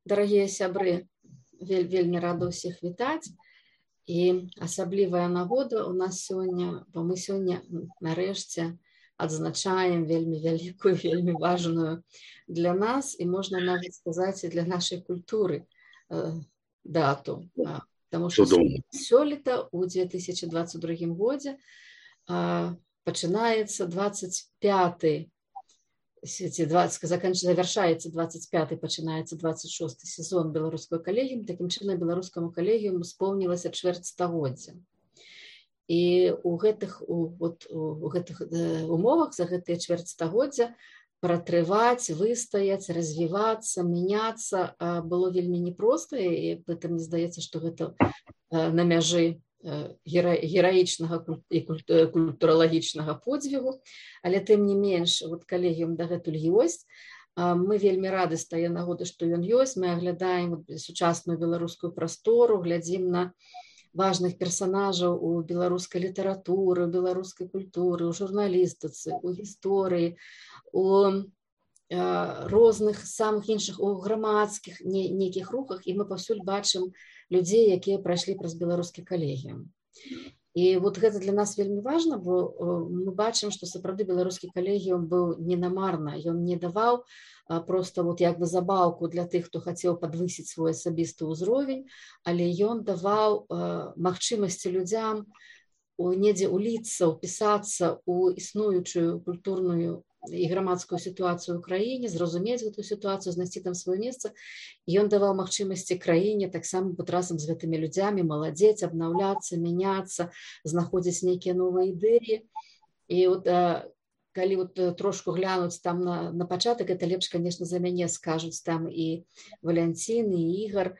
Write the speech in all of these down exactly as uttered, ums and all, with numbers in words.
Дарагія сябры, вель, вельмі рада ўсіх вітаць. І асаблівая нагода у нас сёння, бо мы сёння нарэшце адзначаем вельмі вялікую, вельмі важную для нас і можна нават сказаць і для нашай культуры э, дату. Таму што сёлета у две тысячи двадцать другім годзе э, пачынаецца двадцать пяты завяршаецца двадцать пяты, пачынаецца двадцать шосты сезон беларускага калегіуму. Такім чынам беларускаму калегіуму споўнілася чвэрць стагоддзя. І у гэтых, у, вот, у гэтых умовах за гэтыя чвэрць стагоддзя пратрываць, выстаяць, развівацца, мяняцца было вельмі непроста, і гэта мне здаецца, што гэта на мяжы гераічнага і культуралагічнага подзвігу, але тым не менш вот калегіум дагэтуль ёсць. Мы вельмі рады з тае нагоды, што ён ёсць. Мы аглядаем сучасную беларускую прастору, глядзім на важных персанажаў у беларускай літаратуры, у беларускай культуры, у журналістыцы, у гісторыі, у розных самых іншых, у грамадскіх нейкіх рухах, і мы паўсюль бачым людзей, якія прайшлі праз беларускі калегіум. І вот гэта для нас вельмі важна, бо мы бачым, што сапраўды беларускі калегіум быў не намарна. Ён не даваў проста вот як бы забаўку для тых, хто хацеў падвысіць свой асабісты ўзровень, але ён даваў магчымасці людзям недзе уліцца, упісацца ў існуючую культурную і грамадскую сітуацыю ў краіне, зразумець гэту сітуацыю, знайсці там сваё месца. І ён даваў магчымасці краіне таксама быць разам з гэтымі людзямі, маладзець, абнаўляцца, мяняцца, знаходзіць нейкія новыя ідэі. І от калі вот трошку глянуць там на, на пачатак, это лепш, конечно, за мяне скажуць там і Валянцін, і Ігар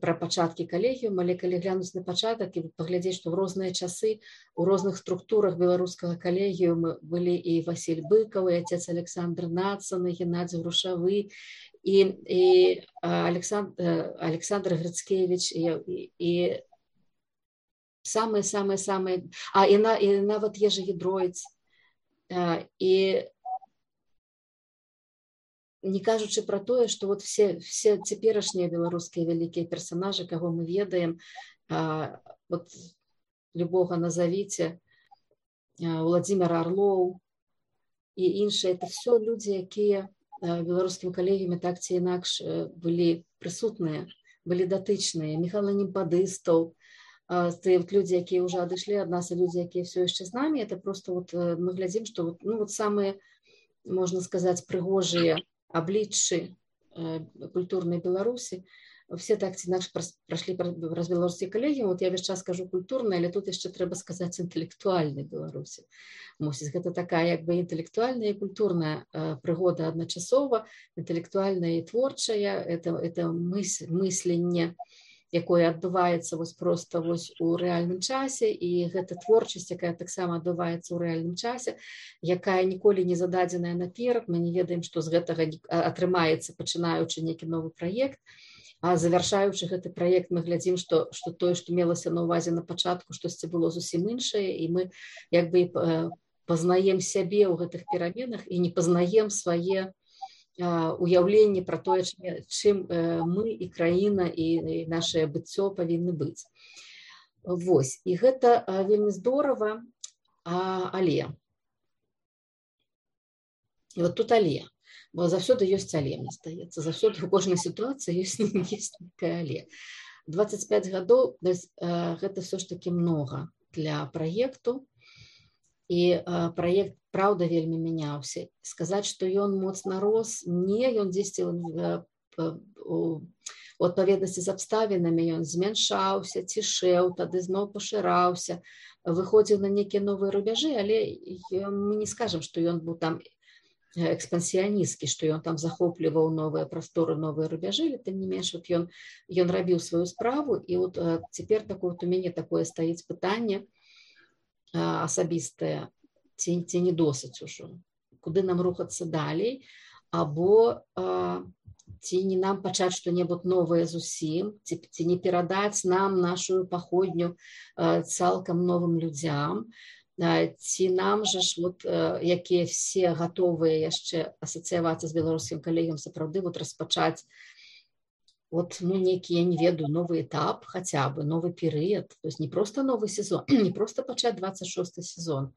пра пачаткі калегіуму, але калі глянуць на пачатак і паглядзець, што ў розныя часы у розных структурах беларускага калегіуму былі і Васіль Быкаў, і отец Александр Нацан, і Геннадзій Грушавы, і, і Александр, Александр Грыцкевіч, і, і самыя-самыя-самыя, а і, на, і нават Ежа Гідроіц. І не кажучы пра тое, што вот все, все цяперашнія беларускія вялікія персанажы, каго мы ведаем, вот любога назавіце, Владзімир Орлоў і іншыя, это все людзі, якія в беларускім калегіуме так ці інакш былі прысутныя, былі датычныя. Міхал Немпадыстаў, те вот люди, якія уже адышлі ад нас, і люди, якія все яшчэ з нами, это просто вот мы глядзім, што вот, ну вот самыя, можна сказаць, прыгожыя абліччы культурнай Беларусі, все так ці інакш прайшлі праз беларускі калегіум. Вот я весь час кажу культурны, але тут яшчэ трэба сказаць інтэлектуальнай Беларусі. Мусіць, гэта такая як бы інтэлектуальная і культурная прыгода адначасова, інтэлектуальная і творчая, это, это мыс, мысленне, якое адбываецца вось проста вось у рэальным часе, і гэта творчасць, якая таксама адбываецца ў рэальным часе, якая ніколі не зададзеная наперад. Мы не ведаем, што з гэтага атрымаецца, пачынаючы нейкі новы праект, а завяршаючы гэты праект мы глядзім, што, што тое, што мелася на ўвазе на пачатку, штосьці было зусім іншае, і мы як бы пазнаем сябе ў гэтых пераменах і не пазнаем свае уяўленне пра тое, чым мы і краіна і наше быццё павінны быць. Вось, і гэта вельмі здорава, але і вот тут але, бо заўсёды ёсць але, мне здаецца, заўсёды у кожнай сітуацыі ёсць нейкае але. двадцать пять гадоў гэта все ж таки многа для праекту, і праект правда вельмі мяняўся. Сказаць, што ён моцна рос, не, ён дзесьці у адпаведнасці з абставінамі ён змяншаўся, цішэў, тады зноў пашыраўся, выходзіў на нейкія новыя рубяжы, але мы не скажам, што ён быў там экспансіяністкі, што ён там захопліваў новыя прасторы, новыя рубяжы, але тым не менш вот ён, ён рабіў сваю справу, і вот цяпер такое, у мяне такое стаіць пытанне асабістае, ці, ці не досыць ужо, куды нам рухацца далей, або а, ці не нам пачаць што-небудзь новае зусім, ці, ці не перадаць нам нашу паходню а, цалкам новым людзям, а, ці нам жа ж, вот, а, якія все гатовыя яшчэ асацыявацца з беларускім калегіям, сапраўды вот, распачаць вот, ну, некий, я не ведаю, новый этап хотя бы, новый период, то есть не просто новый сезон, не просто почать двадцать шосты сезон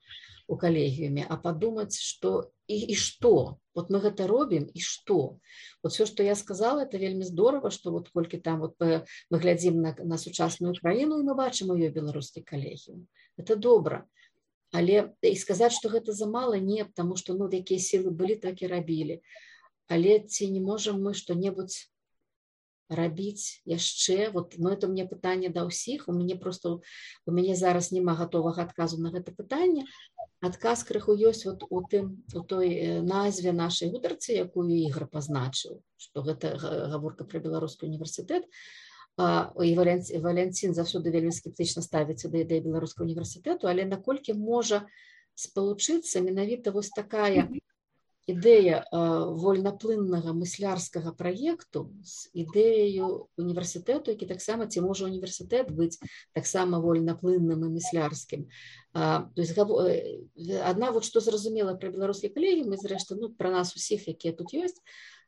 у калегіуме, а подумать, что и, и что, вот мы это робим, и что. Вот все, что я сказала, это вельми здорово, что вот кольки там вот мы глядим на, на сучасную краіну, и мы бачим ее белорусский калегіум. Это добро. Але і сказаць, што гэта замала, не, потому што ну, якія сілы былі, так і рабілі. Але ці не можам мы што-небудзь рабіць яшчэ? Вот, ну, это мне пытанне да ўсіх. У мяне просто у мяне зараз няма гатовага адказу на гэта пытанне. Адказ крыху ёсць вот у тым у той назве нашай гутарцы, якую Ігор пазначыў, што гэта гаворка пра беларускі універсітэт. І Валянцін заўсёды вельмі скептычна ставіцца да ідэі беларускага універсітэту, але наколькі можа спалучыцца менавіта вось такая ідэя вольнаплыннага мыслярскага праекту з ідэяю універсітэту, які таксама, ці можа універсітэт быць таксама вольнаплынным і мыслярскім. То есть адна вот што зразумела пра беларускі калегіум, і зрэшты, ну, пра нас усіх, якія тут ёсць,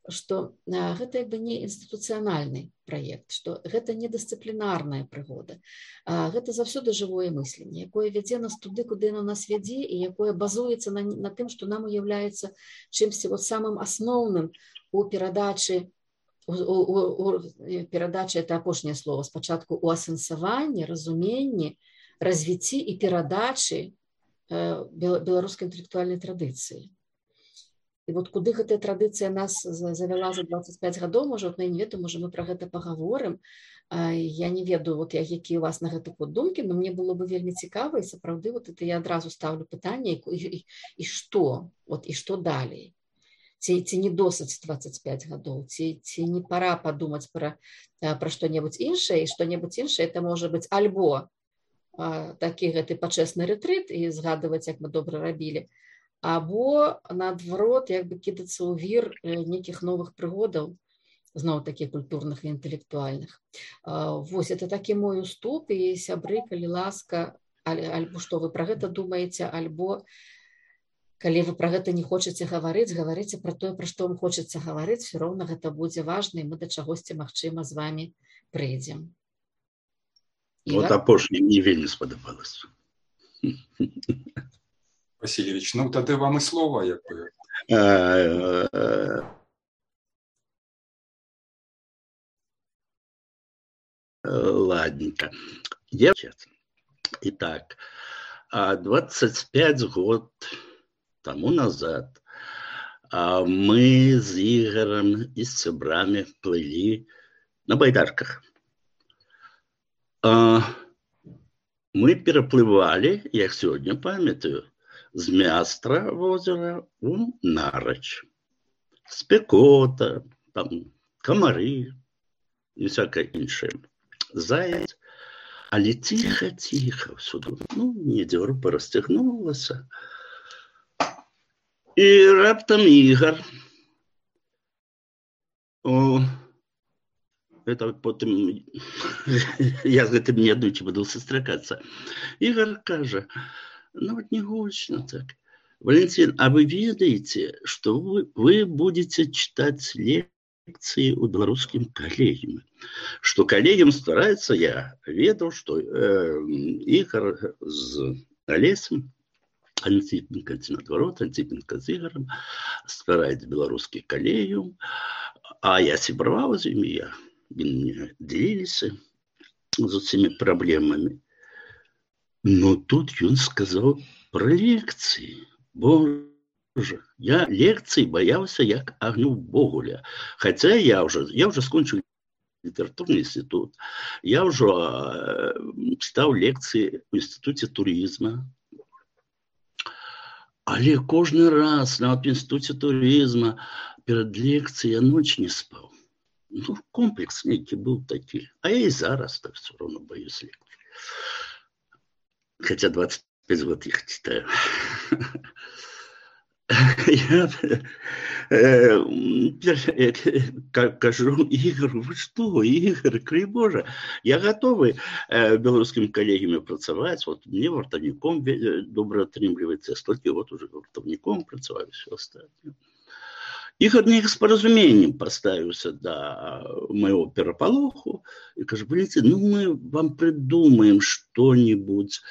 што гэта як бы не інстытуцыянальны праект, што гэта не дысцыплінарная прыгода. Гэта заўсёды жывое мысленне, якое вядзе нас туды, куды на нас вядзе, і якое базуецца на, на тым, што нам уяўляецца чымсьці вот самым асноўным у перадачы, у, у, у, перадачы, это апошняе слово, спачатку у асэнсаванні, разуменні, развіцці і перадачы беларускай інтэлектуальнай традыцыі. І вот куды гэтая традыцыя нас завяла за двадцать пять гадоў, можа, вот, я не ведаю, можа, мы пра гэта пагаворым. Я не ведаю, вот, якія у вас на гэта вот думкі, но мне было бы вельмі цікава, і сапраўды вот это я адразу ставлю пытанне, і, і, і што, вот, і што далей? Ці, ці не досыць двадцать пять гадоў, ці, ці не пора падумаць пра, пра што-небудзь іншае, і што-небудзь іншае, это можа быць альбо а, такі гэты пачэсны рэтрыт, і згадваць, як мы добра рабілі, або, наадварот, як бы кідацца ў вір нейкіх новых прыгодаў, зноў такі культурных і інтэлектуальных. Вось, это такі мой уступ, і сябры, калі ласка, альбо што вы пра гэта думаеце, альбо калі вы пра гэта не хочаце гаварыць, гаварыце пра тое, пра што вам хочацца гаварыць, все роўна гэта будзе важна, і мы да чагосьці, магчыма, з вамі прыйдзем. Вот апошняе мне вельмі спадабалася. Васильевич, ну тады вам і слова, як бы. Ладненько. Девчат. Итак, двадцать пять год тому назад мы с Игорем и с сябрами плыли на байдарках. Мы переплывали, я сегодня памятаю, з Мястра возера у Нарач. Спекота, там, комары и всякое іншае. Заяц. Але тихо-тихо всюду. Ну, недзе група расцягнулася. І раптам Ігор. О, это потым я з гэтым не аднойчы буду сустракацца. Ігор кажа: ну вот не гучно так. Валентин, а вы ведаете, что вы, вы будете читать лекции у белорусским коллегиям? Что коллегиям старается, я ведал, что э, Игорь с Олесем, Антипенко, наоборот, Антипенко с Игорем старается белорусский коллегиум, а я сябраваў з імі, я мне делились з этими проблемами. Но тут он сказал про лекции. Боже, я лекций боялся, як огню Богуля. Хотя я уже, я уже скончил литературный институт. Я уже э, читал лекции в институте туризма. Але кожный раз на в институте туризма перед лекцией я ночь не спал. Ну, комплекс некий был такой. А я и зараз так все равно боюсь лекций. Хотя двадцать пять год их читаю. Я кажу Ігору: ви що, Ігор, край Боже, я готовий белорусским коллегами працаваць. Вот мне вартовником добре отрымліваецца, столькі год уже вартовником працаваю, все остальное. Ігор неяк з паразуменнем паставіўся да майго перапалоху і кажа: Валентин, ну мы вам придумаем что-нибудь,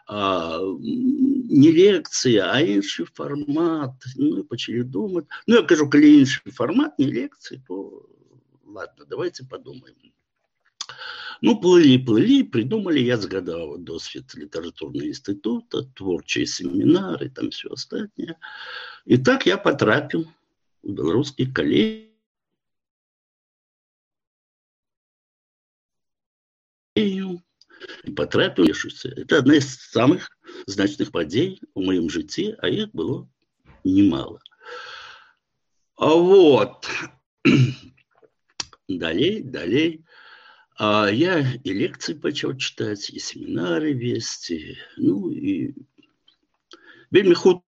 а, не лекцыя, а іншы фармат. Ну і пачалі думаць. Ну я кажу, калі іншы фармат, не лекцыі, то ладно, давайте подумаем. Ну, плыли, плыли, придумали, я згадал досвід литературного института, творчие семинары, там все остальное. И так я потрапил в белорусский коллегиум. И потрапил, это одна из самых значных подей в моем житті, а их было немало. А вот, далей, далей. А я и лекции почал читать, и семинары вести, ну и вельмі хутка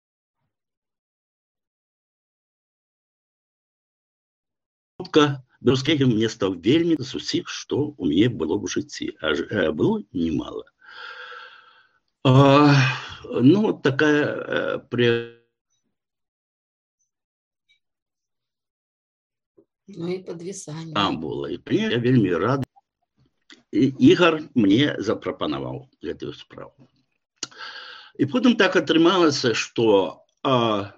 беларускі коллегіум мне стал вельмі з усіх, што у мяне было в житті, а было немало. А, ну, вот такая при... Ну и подвисание. А, было. И я вельмі рад. Ігор мне запрапанаваў гэтую справу. І потым так атрымалася, што а,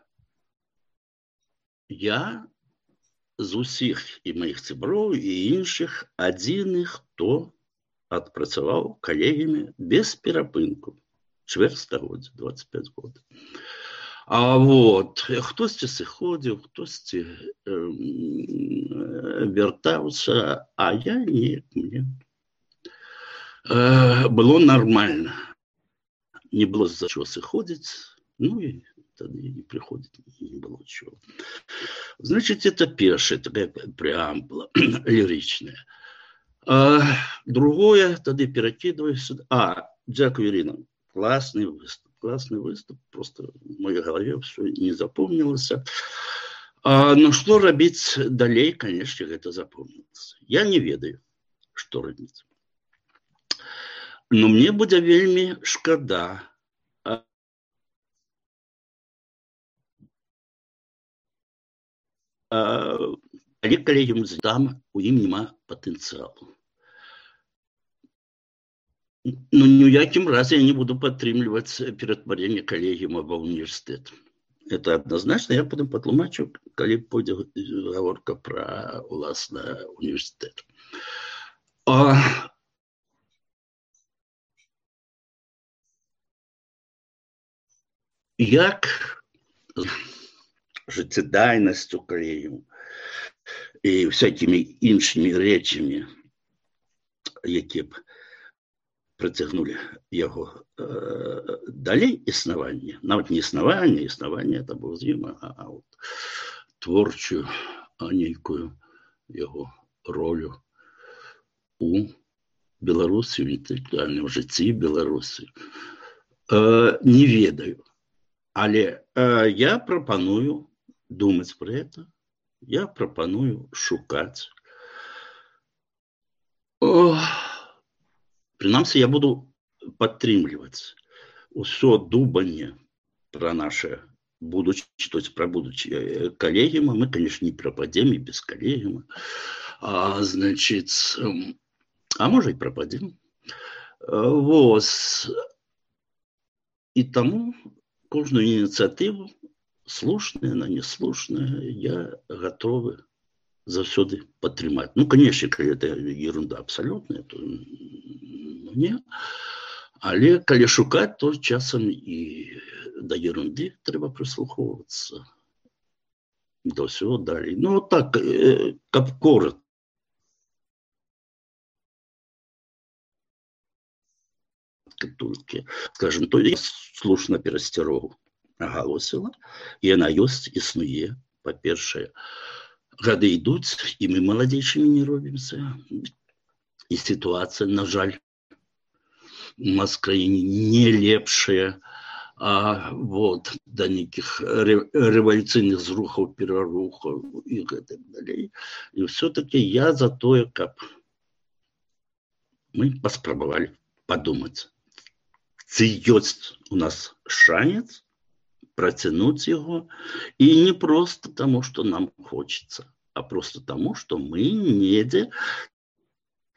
я з усіх і маіх сяброў і іншых адзіны, хто адпрацаваў калегіямі без перапынку. Чвэрць стагоддзя, двадцать пять год. А вот, хтосьці сыходзіў, хтосьці э, вяртаўся, а я неяк мне было нормально. Не было за чего сыходить, ну и тогда не приходит, не было чего. Значит, это первая такая преамбула лиричная. А другое, тогда перекидываю сюда. А, дякую, Ирина, классный выступ, классный выступ, просто в моей голове все не запомнилось. А, но что робить далей, конечно, это запомнилось. Я не ведаю, что робить. Но мне будзе вельмі шкада. А, а, але калегіум там, у ім няма патэнцыялу. Ну, ні ў якім разе я не буду падтрымліваць ператварэнне калегіума ва універсітэт. Это однозначно, я потым патлумачу, калі пойдзе гаворка пра, уласна, універсітэт. А, як жыццядайнасцю калегіуму і всякімі іншымі рэчамі, якія б прыцягнулі яго э, далей існаванне, нават не існаванне, існаванне это было з ім, а, а вот творчую, а нейкую яго ролю у Беларусі, у інтэлектуальным жыцці Беларусі, э, не ведаю. Але э, я прапаную думаць пра гэта, я прапаную шукаць. О, прынамсі, я буду падтрымліваць усё думанне пра наше будучае, то есть пра будучае калегіума. Мы, конечно, не прападзем і без калегіума. А, значит, а можа і прападзем. Вот. І таму кожную инициативу, слушная, она неслушная, я готовы заўсёды падтрымаць. Ну, конечно, калі это ерунда абсолютная, то не. Але калі шукаць, то часам і да ерунды трэба прыслухоўвацца. До ўсяго далей. Ну, так, каб коротко. Толькі, скажем, то я слушна перасцярогу агалосіла, і яна ёсць, існуе. Па-першае, гады ідуць, і мы маладзейшымі не робімся. І сітуацыя, на жаль, у нас в краіне не лепшая, а вот да нейкіх рэвалюцыйных зрухаў, перарухаў і гэтак далей. І ўсё-такі я за тое, каб мы паспрабавалі падумаць, ці ёсць у нас шанец протянуть его. И не просто тому, что нам хочется, а просто тому, что мы недзе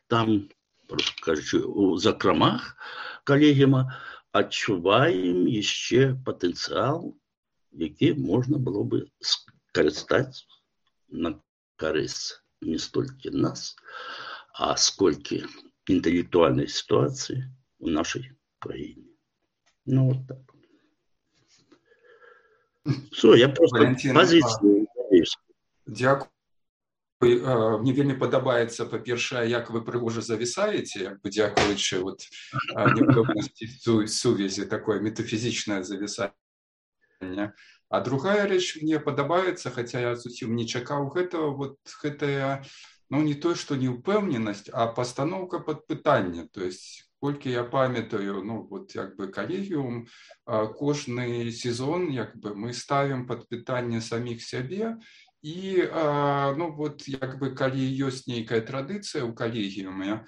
там, просто кажучи, у закромах коллегиума адчуваем еще потенциал, який можна було би скористати на користь не стільки нас, а скільки інтелектуальної ситуації у нашій країні. Ну, от так. Все, я просто Валентин, позицію. Дякую. Мне вельмі падабаецца, па-першае, як вы прыгожа завісаеце, як бы дзякуючы вот непэўнасці сувязі, такое метафізічнае завісанне. А другая рэч мне падабаецца, хаця я зусім не чакаў гэтага, вот гэтая, ну не то, што неўпэўненасць, а пастаноўка пад пытанне. То есть, колькі я памятаю, ну вот як бы калегіум, кожны сезон як бы мы ставім пад пытанне саміх сябе. І, ну, вот, як бы, калі ёсць нейкая традыцыя ў калегіуме,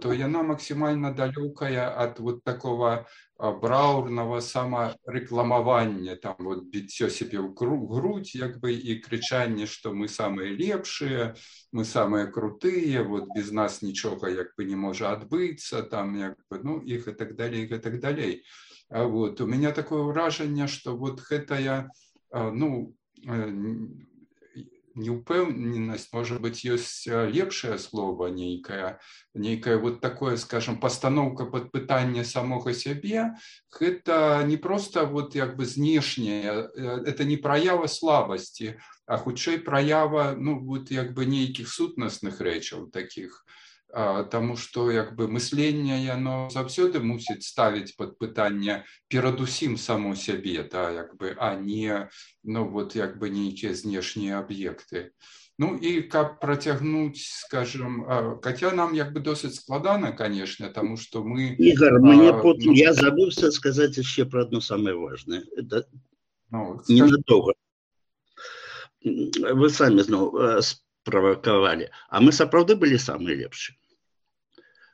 то яна максімальна далёкая ад вот такого браўрнага самарэкламавання, там, вот, біццё сябе ў грудь, як бы, і крычанне, што мы самыя лепшыя, мы самыя крутыя, вот, без нас нічога, як бы, не можа адбыцца, там, як бы, ну, і гэтак далей, гэтак далей. Вот, у меня такое ўражанне, што вот гэтая, ну, неупэўненасць, может быть, ёсць лепшае слово нейкае, нейкае вот такое, скажем, пастаноўка пад пытанне самога сябе, гэта не просто вот як бы знешняе, это не праява слабасці, а хутчэй праява, ну, вот як бы нейкіх сутнасных рэчаў такіх. Таму што як бы мысленне яно заўсёды мусіць ставіць пад пытанне перадусім само сябе, да, як бы, а не, ну вот як бы нейкія знешнія аб'екты. Ну і каб працягнуць, скажем, хаця нам як бы досыць складана, конечно, таму што мы... Игорь, мне а, потом, ну, я забыўся сказаць яшчэ про одно самое важное. Это ну, ненадолго. Вы самі зноў правакавалі. А мы сапраўды былі самыя лепшыя.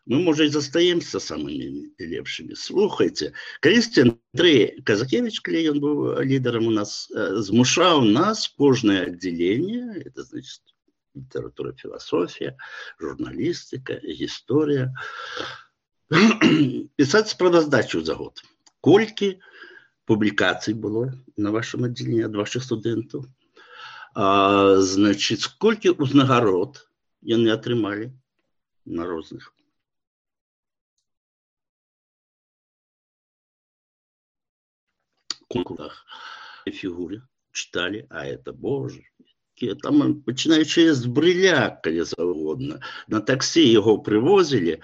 Мы, может, и застаемся самыми лепшими. Слухайте, калісьці Андрей Казакевич, калі ён быў лідарам у нас, змушаў нас кожнае аддзяленне, это значит литература, философия, журналистика, история, писать справаздачу за год. Колькі публікацый было на вашем отделении от ваших студентов, а, значит, сколькі узнагарод яны атрымалі на розных конкурсах, фигуре читали, а это, боже, там, починаючи з Брыля, калі завгодна, на таксі його привозили,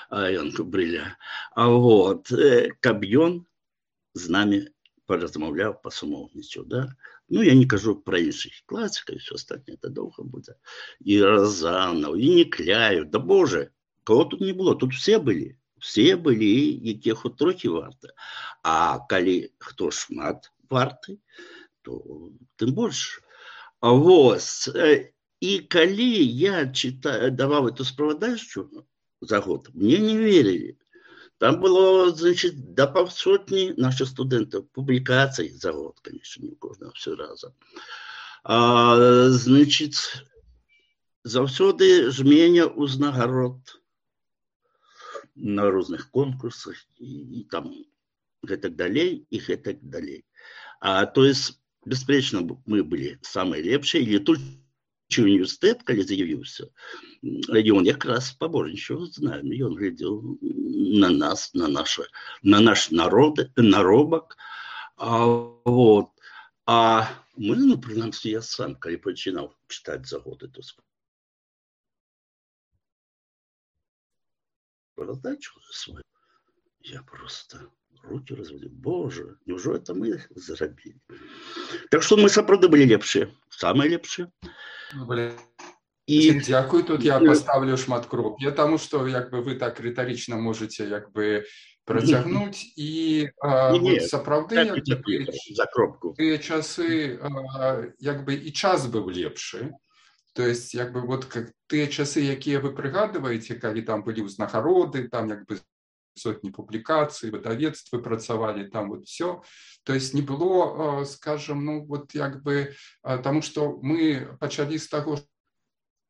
а ён Брыля, а вот, каб ён з нами поразмовляв, посумовничав, да? Ну, я не кажу про інших класиків, і все остальне, це довго буде. І Розанов, і Некляєв, да боже, кого тут не було, тут все були. Все были, які хоч трохи варты. А калі хто шмат варты, то тым больше. А вот, и калі я читаю, давал эту справаздачу за год, мне не верили. Там было, значит, до полсотни наших студентов публикаций за год, конечно, не кожного все разом. А, значит, заўсёды жменя узнагарод на розных конкурсах и, и там гэтак далей и гэтак далей. А, то есть, беспечно, мы были самые лепшие, и летучий университет, калі заявился, он якраз побожничал, знаем, и он глядел на нас, на, наше, на наш народ, наробок. А, вот. А мы, ну, принаймні, я сам, калі починал читать за год эту раздачу свою, я просто руки разводил. Боже, неужели это мы заробили? Так что мы сапраўды были лепшие, самые лепшие. И дякую, тут я поставлю шмат кроп'я, тому что як бы вы так риторично можете як бы протягнуть и вот, сапраўды як бы, за кропку. Тыя часы як бы и час был лепшы. То есть, як бы, вот как тыя часы, якія вы прыгадываеце, калі там былі ўзнагароды, там як бы сотні публікацій, видавецтвы працавалі, там вот все. То есть не было, скажем, ну вот як бы, тому что мы пачалі з таго,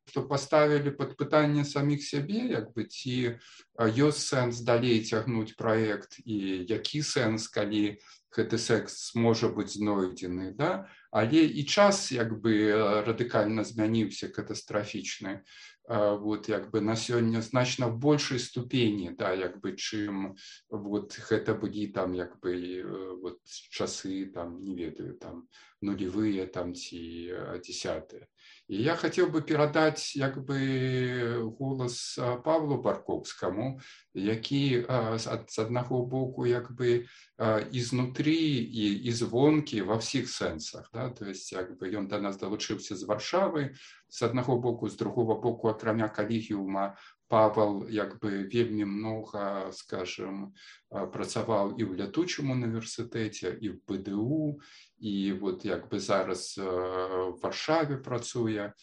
што паставілі пад пытанне саміх сябе, як бы, ці ёсць сэнс далей цягнуць праект, і які сэнс, калі гэты секс можа быць знойдзены, да? Але і час як бы радыкальна змяніўся, катастрафічны. Вот, як бы на сёння значна в большай ступені, да, як бы, чым вот гэта былі там як бы вот часы там, не ведаю, там нулевые там ці десятые. І я хацеў бы перадаць як бы голас Павлу Барковскаму, які з аднаго боку як бы і знутры, і, і звонкі ва ўсіх сэнсах, да? То есть як бы ён да нас далучыўся з Варшавы, з аднаго боку, з другого боку, акрамя калегіума, Павел як бы вельмі много, скажем, працаваў і ў лятучым універсітэце, і в бэ дэ у, і вот як бы зараз в Варшаве працуе.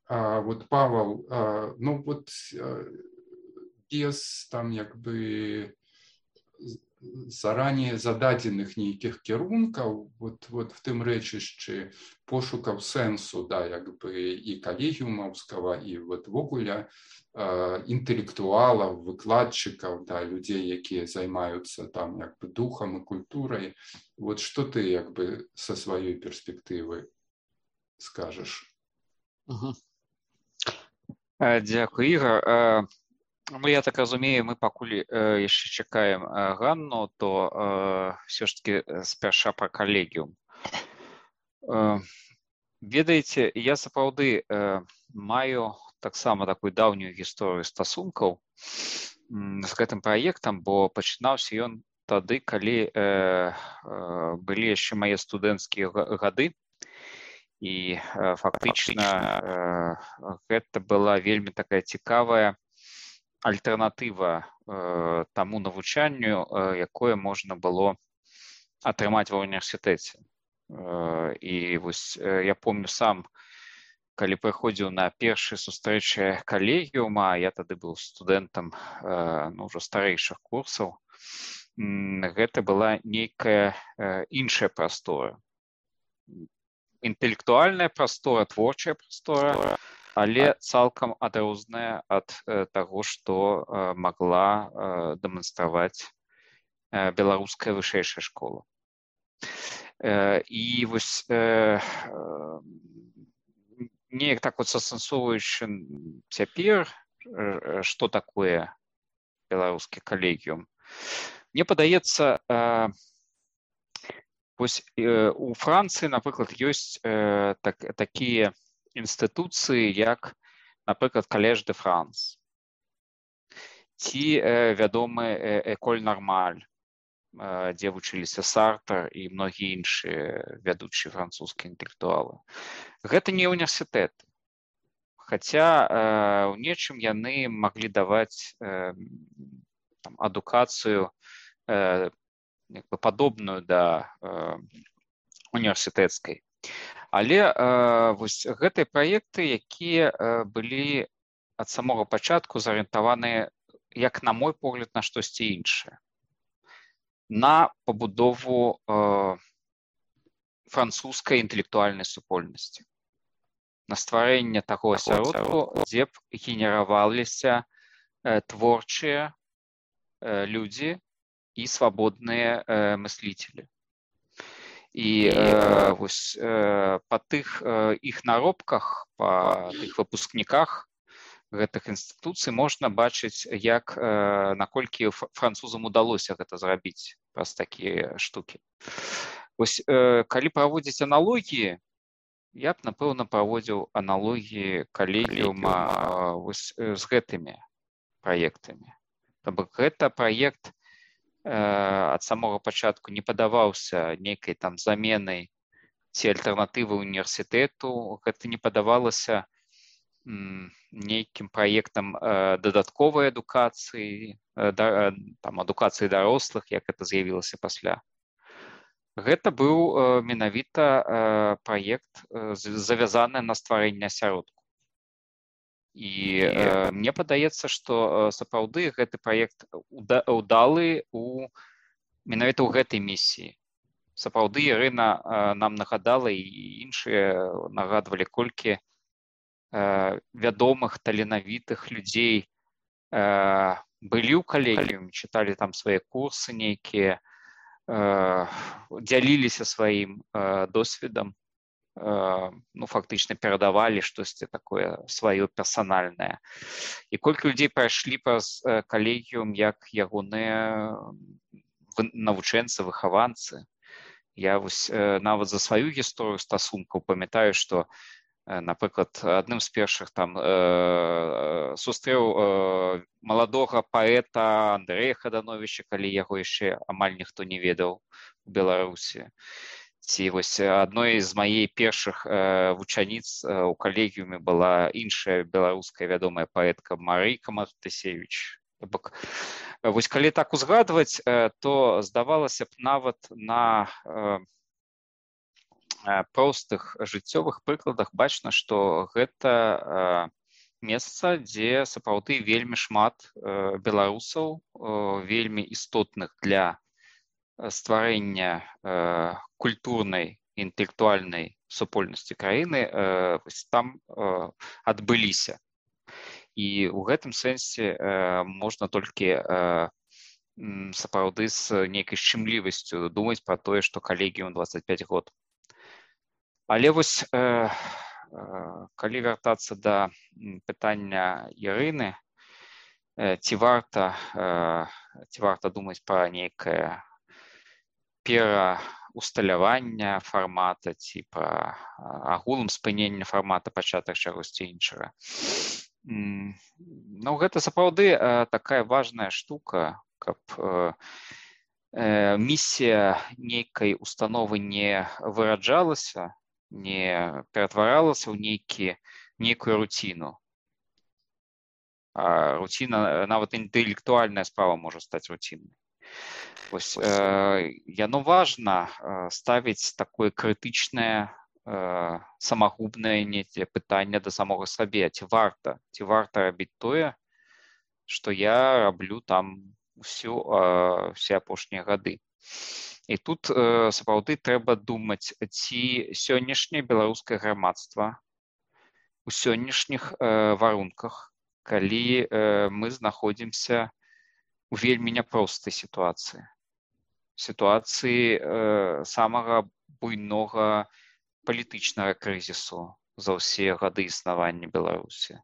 А вот Павел, ну вот без там як бы заранее зададзеных нейкіх кірункаў, вот, вот в тым рэчышчы пошукаў сэнсу, да, як бы і калегіумаўскага, і вот вогуле інтэлектуалаў, выкладчыкаў, да, людзей, якія займаюцца там як бы духам і культурай. Вот што ты як бы са сваёй перспектывы скажаш? Угу. Дзякуй, Ігор. Ну, я так разумею, мы пакуль э, яшчэ чакаем э, Ганну, то э, все ж таки спярша пра калегіум. Э, ведаеце, я сапраўды э, маю таксама такую даўнюю гісторыю стасункаў з гэтым праектам, бо пачынаўся ён тады, калі э, э, былі яшчэ мае студэнцкія гады, і э, фактычна э, гэта была вельмі такая цікавая альтэрнатыва э, таму навучанню, э, якое можна было атрымаць ва ўніверсітэце. Э, і вось э, я помню сам, калі прыходзіў на першыя сустрэчы калегіума, я тады быў студэнтам э, ну, ўжо старэйшых курсаў, гэта была нейкая э, іншая прастора. Інтэлектуальная прастора, творчая прастора, але цалкам адрозная ад э, таго, што э, магла э, дэманстраваць э, беларуская вышэйшая школа. Э, і вось э, э, неяк так вот сасэнсоўваючы цяпер, э, што такое беларускі калегіум, мне падаецца, э, вось э, у Францыі, напрыклад, ёсць э, так, такія інстытуцыі, як, напрыклад, Калеж де Франс, ці э, вядомы Эколь Нормаль, э, дзе вучыліся Сартр і многія іншыя вядучыя французскія інтэлектуалы. Гэта не універсітэты, хаця э, ў нечым яны маглі даваць э, там, адукацыю э, як бы падобную да э, універсітэцкай. Але э, вось гэтыя праекты, якія э, былі ад самога пачатку зарыентаваныя, як на мой погляд, на штосьці іншае. На пабудову э, французскай інтэлектуальнай супольнасці. На стварэнне таго асяродку, дзе б генераваліся э, творчыя э, людзі і свабодныя э, мыслителі. І э, вось э, па тых э, іх наробках, па тых выпускніках гэтых інстытуцый можна бачыць, як э, наколькі французам удалося гэта зрабіць праз такія штукі. Вось э, калі праводзіць аналогіі, я б, напэўна, праводзіў аналогіі калегіума э, вось, э, з гэтымі праектамі. То бок гэта праект ад самого пачатку не падаваўся нейкай там заменай ці альтэрнатывы універсітэту, гэта не падавалася нейкім праектам дадатковай адукацыі, там, адукацыі дарослых, як гэта з'явілася пасля. Гэта быў менавіта праект завязаны на стварэнне асяродку. І э, мне падаецца, што сапраўды гэты праект удалы у менавіта ў гэтай місіі. Сапраўды Ірына э, нам нагадала, і іншыя нагадвалі, колькі э, вядомых, таленавітых людзей э, былі ў калегіуме, чыталі там свае курсы нейкія, э, дзяліліся сваім э, досведам, ну, фактычна перадавалі штосьці такое сваё персанальнае. І колькі людзей прайшлі праз калегіум як ягоныя навучэнцы, выхаванцы. Я вось нават за сваю гісторыю стасункаў памятаю, што, напрыклад, адным з першых там сустрэў маладога паэта Андрэя Хадановіча, калі яго яшчэ амаль ніхто не ведаў у Беларусі. Ці вось адной з маей першых э, вучаніц э, у калегіуме была іншая беларуская вядомая паэтка Марыйка Мартысевіч. Вось калі так узгадваць, э, то здавалася б нават на э, простых жыццёвых прыкладах бачна, што гэта э, месца, дзе сапраўды вельмі шмат э, беларусаў, э, вельмі істотных для стварэння э, культурнай, інтэлектуальнай супольнасці краіны э, там э, адбыліся. І ў гэтым сэнсе э, можна толькі э, сапраўды з нейкай шчымлівасцю думаць пра тое, што калегіум дваццаць пяць год. Але вось э, э, калі вяртацца да пытання Ірыны, э, ці варта, э, ці варта думаць пра нейкае пераўсталявання фармата ці пра агулам спынення фармата пачатак чагосьці іншага. Ну, гэта сапраўды такая важная штука, каб місія нейкай установы не выраджалася, не ператваралася ў нейкі, нейкую руціну. А руціна, нават інтэлектуальная справа можа стаць руціннай. Вось, э, яно важна э, ставіць такое крытычнае, э, самагубнае нейкае пытанне да самога сабе. Ці варта, ці варта рабіць тое, што я раблю там усю, э, все апошнія гады. І тут э, сапраўды трэба думаць, ці сённяшняе беларускае грамадства у сённяшніх э, варунках, калі э, мы знаходзімся у вельмі няпростай сітуацыі. Сітуацыі э, самага буйнога палітычнага крызісу за ўсе гады існавання Беларусі.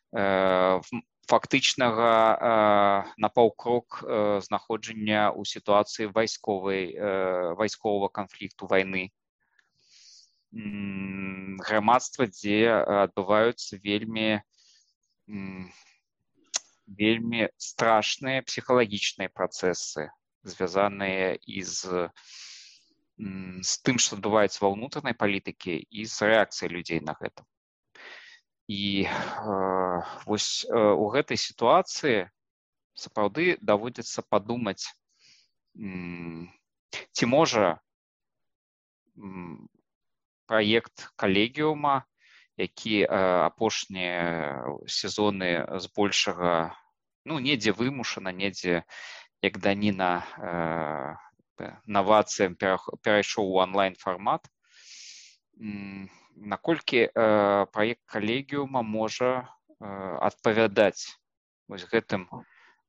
Э, фактычнага э, на паўкрок э, знаходжання ў сітуацыі вайсковай, э, вайсковага канфлікту вайны. М, грамадства, дзе адбываюцца вельмі м, вельмі страшныя псіхалагічныя працэсы, звязаныя і з, з тым, што адбываецца ва ўнутранай палітыкі, і з рэакцыяй людзей на гэта. І э, вось э, у гэтай сітуацыі сапраўды даводзіцца падумаць, м, ці можа м, праект калегіума, які э, апошнія сезоны збольшага, ну, недзе вымушана, недзе як даніна э, навацыям перайшоў у онлайн-фармат. Наколькі э, праект калегіума можа э, адпавядаць вось гэтым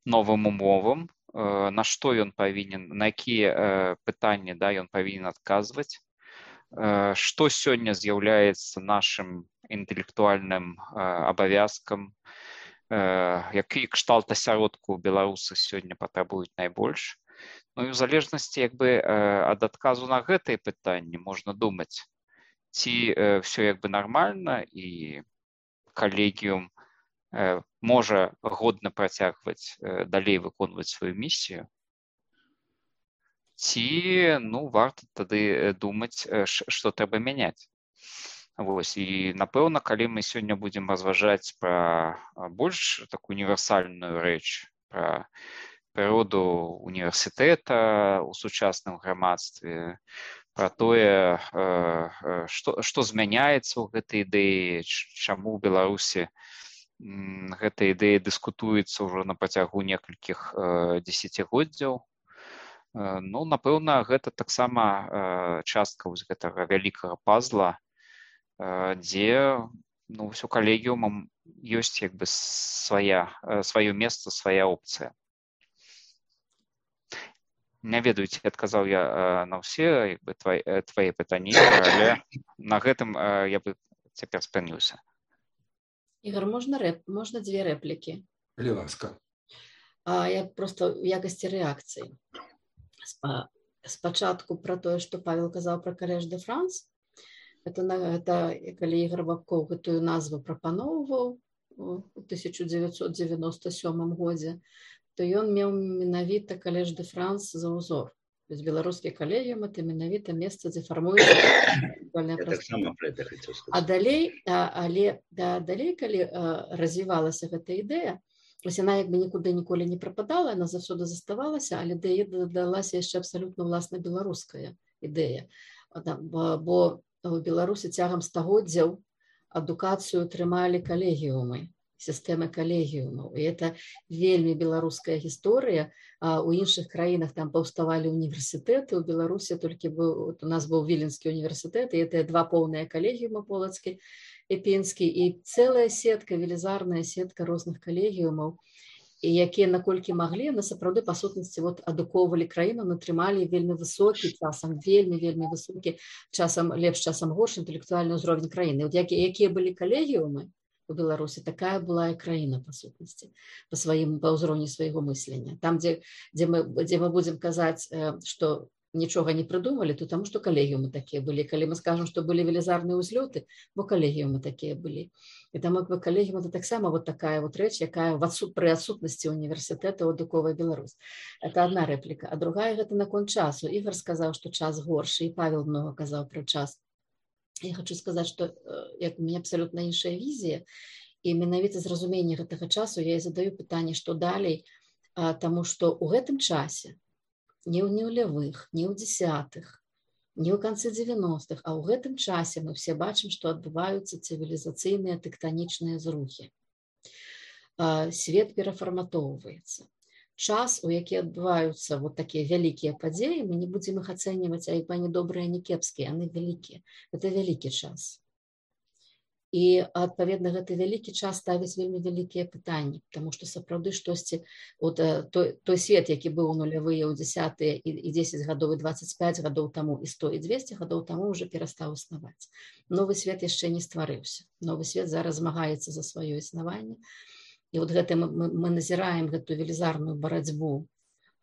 новым умовам, э, на што ён павінен, на якія э, пытанні, да, ён павінен адказваць, э, што сёння з'яўляецца нашым інтэлектуальным э, абавязкам, які кшталт асяродку беларусы сёння патрабуюць найбольш. Ну і ў залежнасці як бы ад адказу на гэтыя пытанні можна думаць, ці ўсё як бы нармальна і калегіум можа годна працягваць далей выконваць сваю місію, ці, ну, варта тады думаць, што трэба мяняць. Вось, і, напэўна, калі мы сёння будзем разважаць пра больш такую універсальную рэч, пра прыроду універсітэта ў сучасным грамадстве, пра тое, што, што змяняецца ў гэтай ідэі, чаму ў Беларусі гэта ідэя дыскутуецца ўжо на працягу некалькіх дзесяцігоддзяў. Ну, напэўна, гэта таксама частка вось гэтага вялікага пазла, дзе ну, ўсё калегіумам ёсць як бы свая, сваё месца, свая опцыя. Не ведаю, ці адказаў я на ўсе як бы, твае, твае пытанні, але на гэтым я бы цяпер спыніўся. Ігор, можна, рэп... можна дзве рэплікі? Калі ласка. А, я просто ў якасці рэакцыі. Спачатку пра тое, што Павел казаў пра Калеж де Франс, это, это калі Ігор Бабкоў гэтую назву прапаноўваў у тысяча дзевяцьсот дзевяноста сёмым годзе, то ён меў менавіта Калеж де Франс за ўзор. То есть беларускі калегіум это менавіта месца, дзе фармуецца інтэлектуальная прастора. А далей, а, але да, далей, калі а, развівалася гэта ідэя, ось яна як бы нікуды ніколі не прападала, яна заўсёды заставалася, але да яе дадалася яшчэ абсалютна ўласна беларуская ідэя. Бо у Беларусі цягам стагоддзяў адукацыю трымалі калегіумы, сістэмы калегіумаў. І это вельмі беларуская гісторыя. У іншых краінах там паўставалі універсітэты, у Беларусі толькі быў, у нас быў Віленскі універсітэт, і это два поўныя калегіума полацкі, і Пінскі, і цэлая сетка, велізарная сетка розных калегіумаў, і якія наколькі маглі, на сапраўды па сутнасці вот, адукоўвалі краіну, натрымалі вельмі высокі, часам вельмі, вельмі высокі, часам лепш, часам горш інтэлектуальны ўзровень краіны. Вот якія, якія былі калегіумы у Беларусі, такая была і краіна па сутнасці, па сваім, па ўзроўні свайго мыслення. Там, дзе, дзе, мы, дзе мы будзем казаць, што нічога не прыдумалі, то таму, што калегіумы такія былі. Калі мы скажам, што былі велізарныя ўзлёты, бо калегіумы такія былі. І там як бы калегіум это таксама вот такая вот рэч, якая адсут, пры адсутнасці універсітэта адукоўвае Беларусь. Это одна рэпліка. А другая гэта наконт часу. Ігор сказаў, што час горшы, і Павел многа казаў пра час. Я хочу сказаць, што як у мяне абсалютна іншая візія, і менавіта з разумення гэтага часу я і задаю пытанне, што далей, таму што ў гэтым часе не ў нулявых, не ў дзесятых, не ў канцы дзевяностых, а ў гэтым часе мы все бачым, што адбываюцца цывілізацыйныя тэктанічныя зрухі. Свет перафарматоўваецца. Час, у які адбываюцца вот такія вялікія падзеі, мы не будзем іх ацэньваць, а як бы они добрыя, не кепскія, яны вялікія. Это вялікі час. І, адпаведна, гэты вялікі час ставіць вельмі вялікія пытанні, таму што сапраўды штосьці, от, той, той свет, які быў у нулявыя, у дзесятыя і, і дзесяць гадоў, і дваццаць пяць гадоў таму, і сто, і дзвесце гадоў таму ўжо перастаў існаваць. Новы свет яшчэ не стварыўся. Новы свет зараз змагаецца за сваё існаванне. І от гэта мы, мы, мы назіраем гэту велізарную барацьбу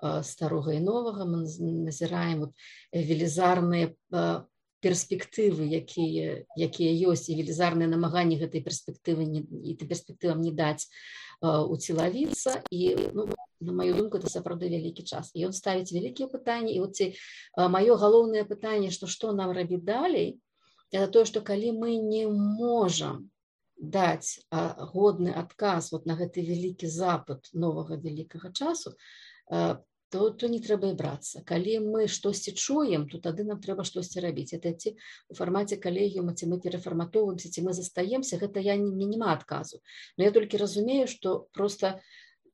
э, старога і новага, мы назіраем вот, велізарныя э, перспектывы, якія, якія ёсць, і велізарныя намаганні гэтай перспектывы не, і перспектывам не даць э, уцелавіцца. І, ну, на маю думку, это сапраўды вялікі час. І ён ставіць вялікія пытанні. І вот ці, э, маё галоўнае пытанне, што што нам рабіць далей, это тое, што калі мы не можам даць э, годны адказ вот на гэты вялікі запад новага вялікага часу, э, То, то не трэба і брацца. Калі мы штосьці чуем, то тады нам трэба штосьці рабіць. Это ці у фармаце калегіума, ці мы перафарматоўваемся, ці мы застаемся, гэта я не, няма адказу. Но я толькі разумею, што просто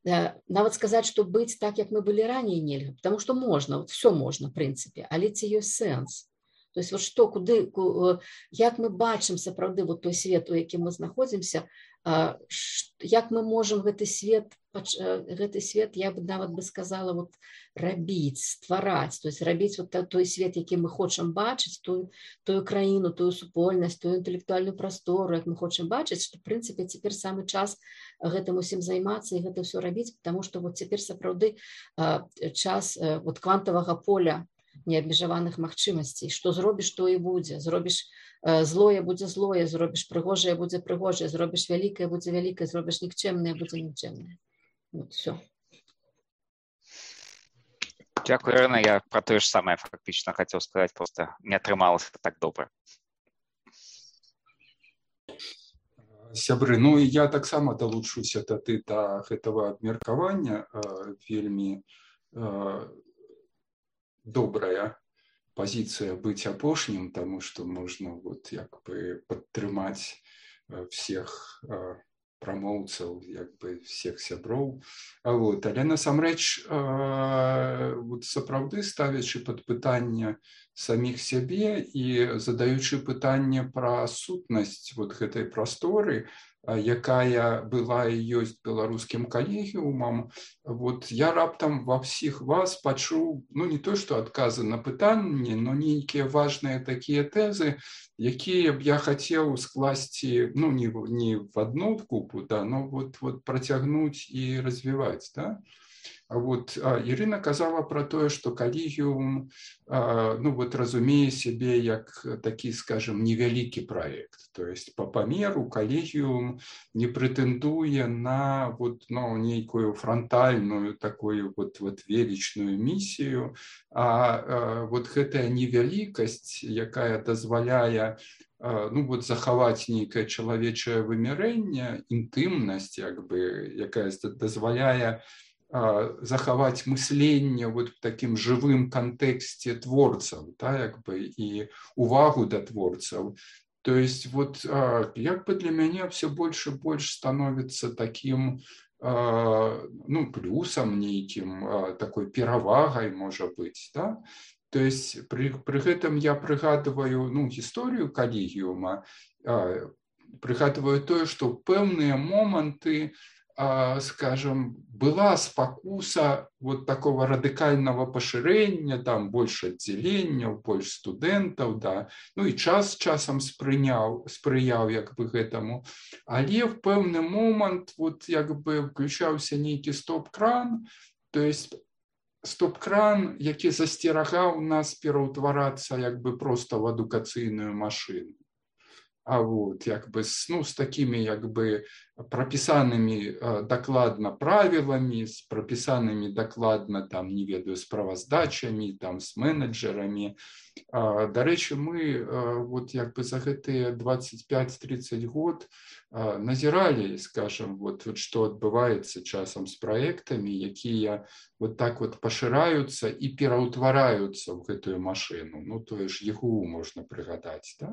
э, нават сказаць, што быць так, як мы былі раней, нельга. Потому што можна, вот все можна, в прынцыпе, але ці ёсць сэнс. То есть вот што, куды, ку, як мы бачым сапраўды вот той свет, у якім мы знаходзімся, э, як мы можам гэты свет гэты свет, я бы нават бы сказала, вот, рабіць, ствараць, то есть рабіць вот той свет, які мы хочам бачыць, тую, тую краіну, тую супольнасць, тую інтэлектуальную прастору, як мы хочам бачыць, што, в прынцыпе, цяпер самы час гэтым усім займацца і гэта ўсё рабіць, потому што вот цяпер сапраўды час вот квантавага поля неабмежаваных магчымасцей. Што зробіш, то і будзе. Зробіш злое, будзе злое, зробіш прыгожае, будзе прыгожае, зробіш вялікае, будзе вялікае, зробіш нікчэмнае, будзе нікчэмнае. Вот, все. Дякую, Ірина. Я про те ж саме фактично хотів сказати, просто не атрымалася так добре. Сябры, ну я таксама далучуся тады да гэтага абмеркавання, вельмі добрае позиция быть апошнім, тому что можно вот як бы падтрымаць всех прамоўцаў, як бы всех сяброў. Вот. Але насамрэч вот сапраўды ставячы пад пытанне самих сябе і задаючы пытанне пра сутнасць вот гэтай прасторы, якая была і ёсць беларускім калегіумам, вот я раптам ва ўсіх вас пачуў, ну не то што адказы на пытанні, но нейкія важныя такія тэзы, якія б я хацеў скласці, ну не, не в одну купу, да, но вот, вот працягнуць і развіваць, да? Вот, Ірына казала про тое, што калегіум, ну вот разумее сябе як такі, скажем, невялікі праект. То есть по памеру калегіум не прэтэндуе на вот, ну, нейкую франтальную такую вот, вот велічную місію, а вот гэтая невялікасць, якая дазваляе ну вот захаваць нейкае чалавечае вымярэнне, інтымнасць, як бы, якая дазваляе захаваць мысленне вот в таким живым контексте творцаў, да, як бы, і увагу да творцаў. То есть вот як бы для мяне все больше и больше становится таким ну, плюсом нейким, такой перавагай, можа быть, да? То есть при, при гэтым я прыгадываю ну, гісторыю калегіума, прыгадываю тое, што пэўныя моманты, скажем, была спакуса вот такого радыкального пашырэння, там больше аддзяленняў, больше студэнтаў, да, ну і час часам спрыняў, спрыяў як бы гэтаму, але в пэўны момант вот як бы включаўся нейкі стоп-кран, то есть стоп-кран, які засцерагаў нас пераўтварацца як бы просто в адукацыйную машину. А вот як бы ну, с такими як бы прописанными э, докладно правилами, с прописанными докладно там, не ведаю, справаздачами, там, с менеджерами. Э, до речи, мы э, вот як бы за гэтые двадцать пять тридцать год э, назирали, скажем, вот, вот что отбывается часом с проектами, якія вот так вот пошираются и пераўтвараюцца в гэтую машину. Ну, то есть ЕГУ можно прыгадаць, да?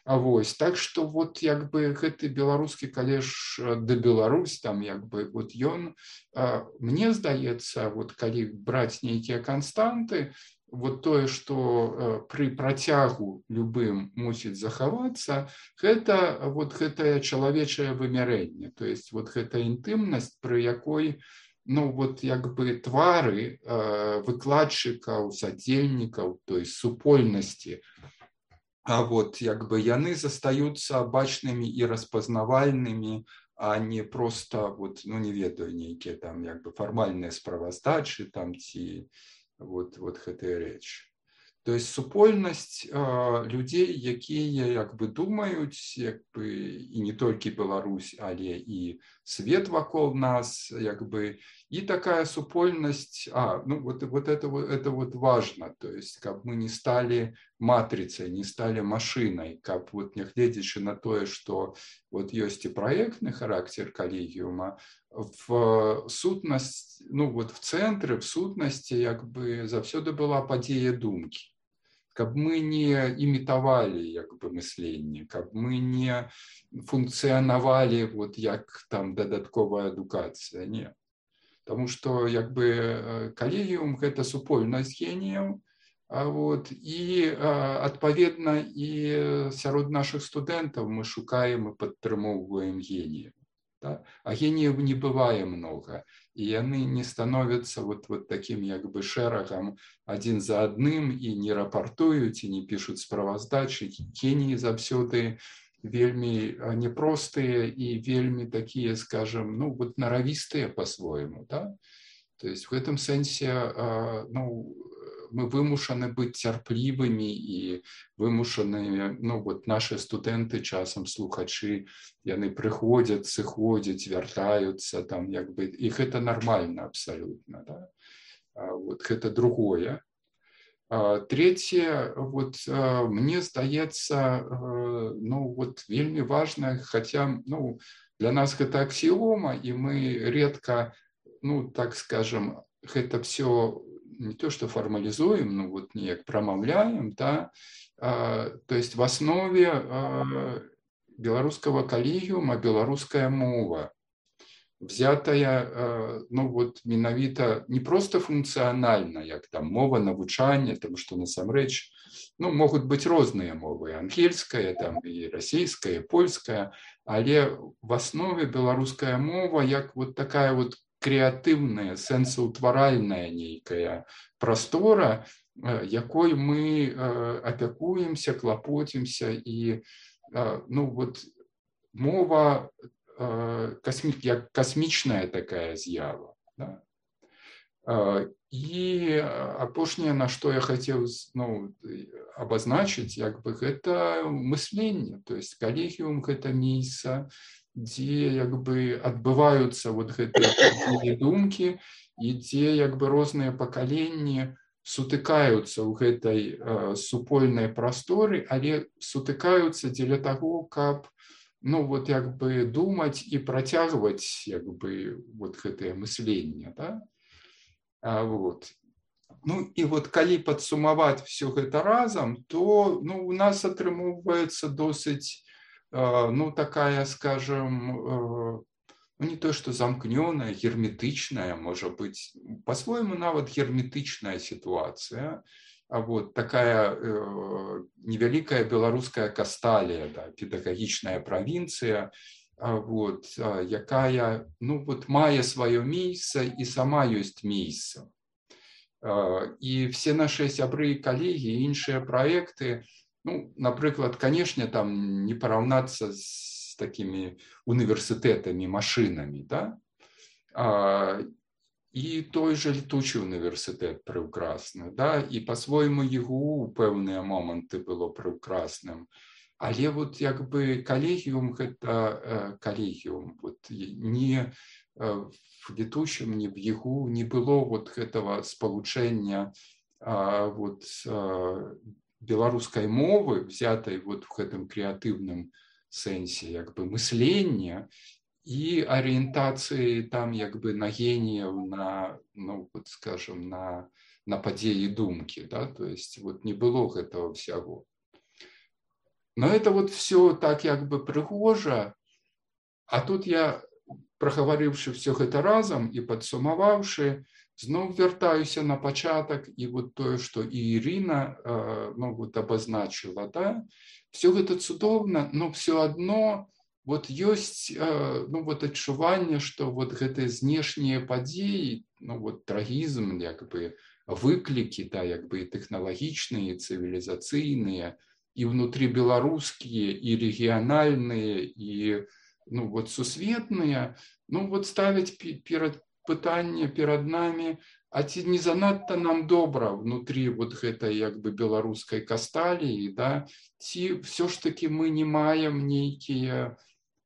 А вось, так что вот як бы гэты беларускі калеж да Беларусь, там як бы вот ён, мне здаецца, вот калі браць нейкія канстанты, вот тое, што пры працягу любым мусіць захавацца, гэта вот гэтае чалавечае вымярэнне, то есть вот гэта інтымнасць, пры якой ну вот як бы твары выкладчыкаў, садзельнікаў, то есть супольнасці, а вот як бы яны застаюцца бачнымі і распазнавальнымі, а не просто вот, ну не ведаю, нейкія там як бы фармальныя справаздачы там ці вот, вот гэтая рэч. То есть супольнасць э, людзей, якія як бы думаюць, як бы і не толькі Беларусь, але і свет вакол нас, як бы и такая супольнасць, а, ну вот, вот, это, вот это вот важно, то есть каб мы не стали матрицей, не стали машиной, каб вот нягледзячы на тое, что вот ёсць і праектны характер калегіума, в сутнасць, ну вот в цэнтры, в сутнасці як бы заўсёды была падзея думкі. Каб мы не імітавалі як бы мысленне, каб мы не функцыянавалі вот як там дадатковая адукацыя, не. Потому что як бы калегіум гэта супольнасць геніяў, а вот і адпаведна і сярод наших студэнтаў мы шукаем і падтрымоўваем геніяў. Да? А геніяў не бывае много, і яны не становятся вот, вот таким як бы шэрагам адзін за адным і не рапартуюць, і не пішуць справаздачы. Геніі заўсёды вельмі непростыя і вельмі такія, скажем, ну вот наравістыя по-свойму, да? То есть в этом сэнсе, ну, мы вымушаны быць цярплівымі і вымушаны, ну вот наши студэнты часам слухачы, яны прыходзяць, сыходзяць, вяртаюцца там як бы, і гэта нормально абсолютно, да? Вот гэта другое. Третье, вот мне здаецца, ну вот вельмі важно, хотя, ну, для нас гэта аксіома, і мы редко, ну, так скажем, гэта все не то что формализуем, но вот неяк промовляем, да, то есть в основе белорусского коллегиума белорусская мова, взятая, ну вот менавіта не просто функцыянальна, як там мова навучання, тому што насамрэч, ну, могуць быць розныя мовы, ангельская, там і расійская, і польская, але в основе беларуская мова як вот такая вот крэатыўная, сэнсаўтваральная нейкая прастора, якой мы апякуемся, клапоцімся, і ну вот мова косми, як космічная такая з'ява. Да? І апошняе, на што я хацеў ну, абазначыць, як бы гэта мысленне, то есть калегіум гэта месца, дзе як бы адбываюцца вот гэтыя думкі і дзе як бы розныя пакаленні сутыкаюцца ў гэтай супольнай прасторы, але сутыкаюцца дзеля таго, каб ну вот як бы думаць і працягваць як бы вот гэтае мысленне, да? А, вот. Ну і вот калі падсумаваць все гэта разам, то ну, у нас атрымоўваецца досыць ну такая, скажем, ну не то что замкнёная, герметычная, можа быць, по-свойму нават герметычная ситуация. А вот такая э, невялікая беларуская касталія, да, педагагічная правінцыя, вот, якая ну, вот, мае сваё месца і сама ёсць месца. І все наши сябры і калегі, іншыя праекты, ну, напрыклад, канешне, там не параўнацца з такімі універсітэтамі, машынамі, да? І той же летучий університет прекрасний, да? І по-своєму ЄГУ у певні моменти було прекрасним. Але вот якби колегіум, это колегіум, вот не в летучем, не в ЕГУ не было вот этого сполучения а, вот белорусской мовы, взятой вот в этом креативном сенсе, якби мысления, и ориентации там якби на гениев, на, ну вот скажем, на, на падзеі думки, да, то есть вот не было этого всего. Но это вот все так якби прыгожа, а тут я, прагаварыўшы все гэта разом и падсумаваўшы, зноў вяртаюся на пачатак, и вот тое, что и Ирина э, ну, вот обозначила, да, все гэта цудоўна, но все одно вот ёсць э, ну, вот адчуванне, что вот гэтыя знешнія падзеі, ну, вот трагізм, як бы выклікі, да, як бы тэхналагічныя, цывілізацыйныя, и внутрибелорусские, и региональные, и ну, вот сусветные, ну вот ставить перед пытанне перед нами, а ці не занадто нам добра внутри вот гэтай як бы беларускай касталіі, да, ці все ж таки мы не маем нейкія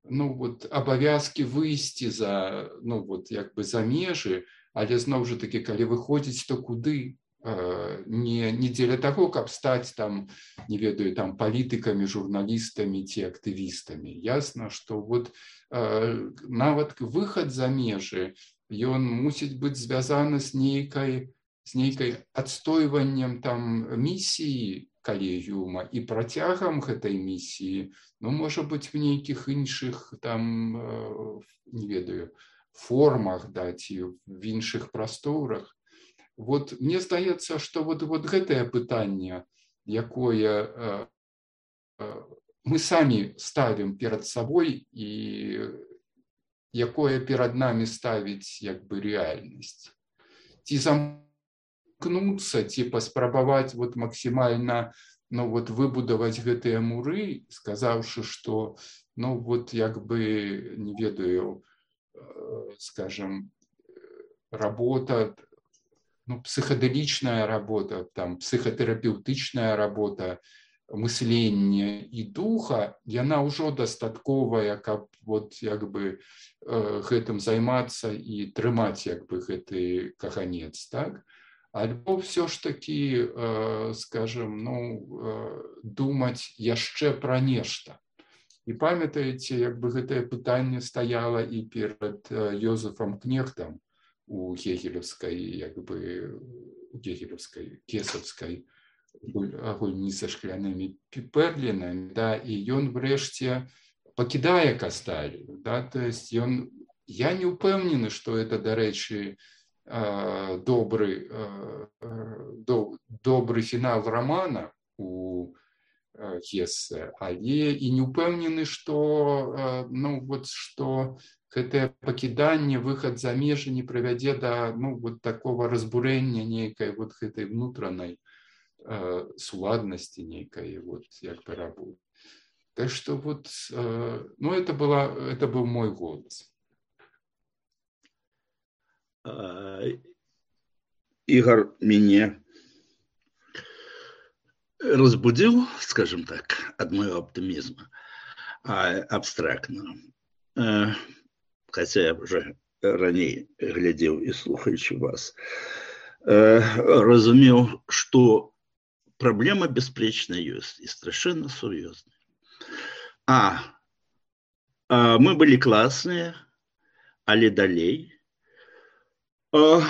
ну вот абавязки выйсці за ну вот як бы за межы, але зноў жа таки калі выходзіць, то куды? Не, не дзеля таго, каб стаць там, не ведаю, там палітыкамі, журналістамі ці актывістамі. Ясна, што вот э, нават выхад за межы, ён мусіць быць звязаны з нейкай, з нейкай адстойваннем там місіі калегіума і працягам гэтай місіі, ну, можа быць, в нейкіх іншых там, э, не ведаю, формах, да, ці в іншых прасторах. Вот мне здаецца, што вот, вот гэтае пытанне, якое э, э, мы самі ставім перад сабой і якое перад намі ставіць як бы рэальнасць. Ці замкнуцца, ці паспрабаваць вот максімальна ну, вот выбудаваць гэтыя муры, сказаўшы, што ну вот як бы, не ведаю, э, скажем, работа, ну, психоделічная работа, там, психотерапевтычная работа, мыслення і духа, яна ўжо дастатковая, каб вот, як бы, э, гэтым займацца і трымаць, як бы, гэты каганец, так? Альбо все ж таки, э, скажем, ну, э, думаць яшчэ пра нешта. І памятаеце, як бы гэтае пытанне стаяла і перад э, Йозефам Кнехтам, у гегелевской, як бы, у гегелевской, кесовской гульні со шклянымі перлінамі, да, і ён врэшце пакідае Касталію, да, то есть ён, я не упэўнены, што это, дарэчы, добры, добры фінал романа у Гессе, але і не упэўнены, што, ну, вот, што гэтае пакіданне, выхад за межы не прывядзе да, ну, вот такого разбурэння нейкай вот гэтай внутранай суладнасці нейкай, вот, як бы работы. Так что вот, ну, это была, это был мой голос. Игорь меня разбудил, скажем так, от моего оптимизма абстрактного. Хотя я уже ранее глядел и слухаючи вас, разумел, что проблема беспречно есть и совершенно серьезная. А, а мы были классные, але далей, а,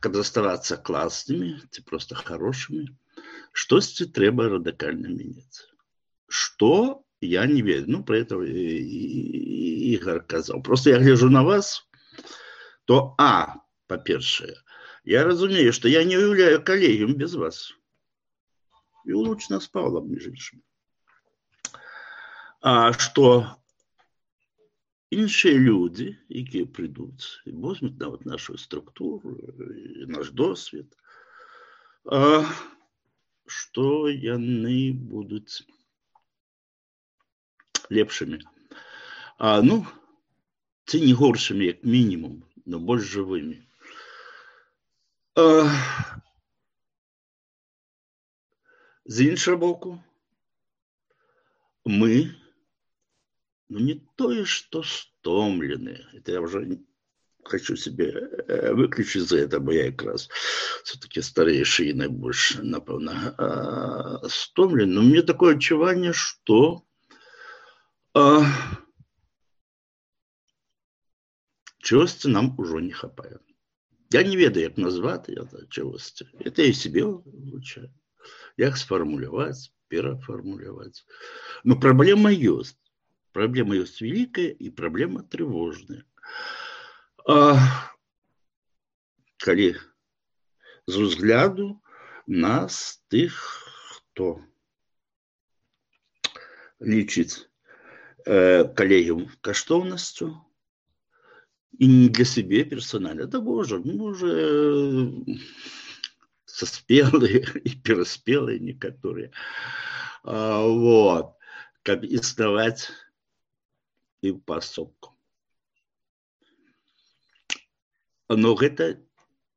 когда оставаться классными, ты просто хорошими, что-то треба радикально менять. Что, я не верю. Ну, про это Игорь сказал. Просто я гляжу на вас, то, а, по-перше, я разумею, что я не уявляю коллегиум без вас. И улучшено с Павлом, между прочим. А что іншыя люди, які придут и возьмут на вот нашу структуру, наш досвід, а, что яны будут лепшими. А, ну, ці не горшими, як мінімум, но больш живыми. А, з іншого боку, мы, ну, не то, что стомлены. Это я уже хочу себе выключить за это, бо я как раз все-таки старейший и наибольше, напевно, стомлен. Но мне такое отчувание, что а, чогось нам уже не хапает. Я не ведаю, как назвать это чогось. Это я себе вивчаю. Як сформулировать, переформулировать. Но проблема есть. Проблема есть великая и проблема тревожная. А, коли з взгляду нас, тих, хто лічить э, колегіум каштовністю, и не для себя персонально, да боже, мы уже соспелые и переспелые некоторые. А, вот. Как издавать и в пособку. Но это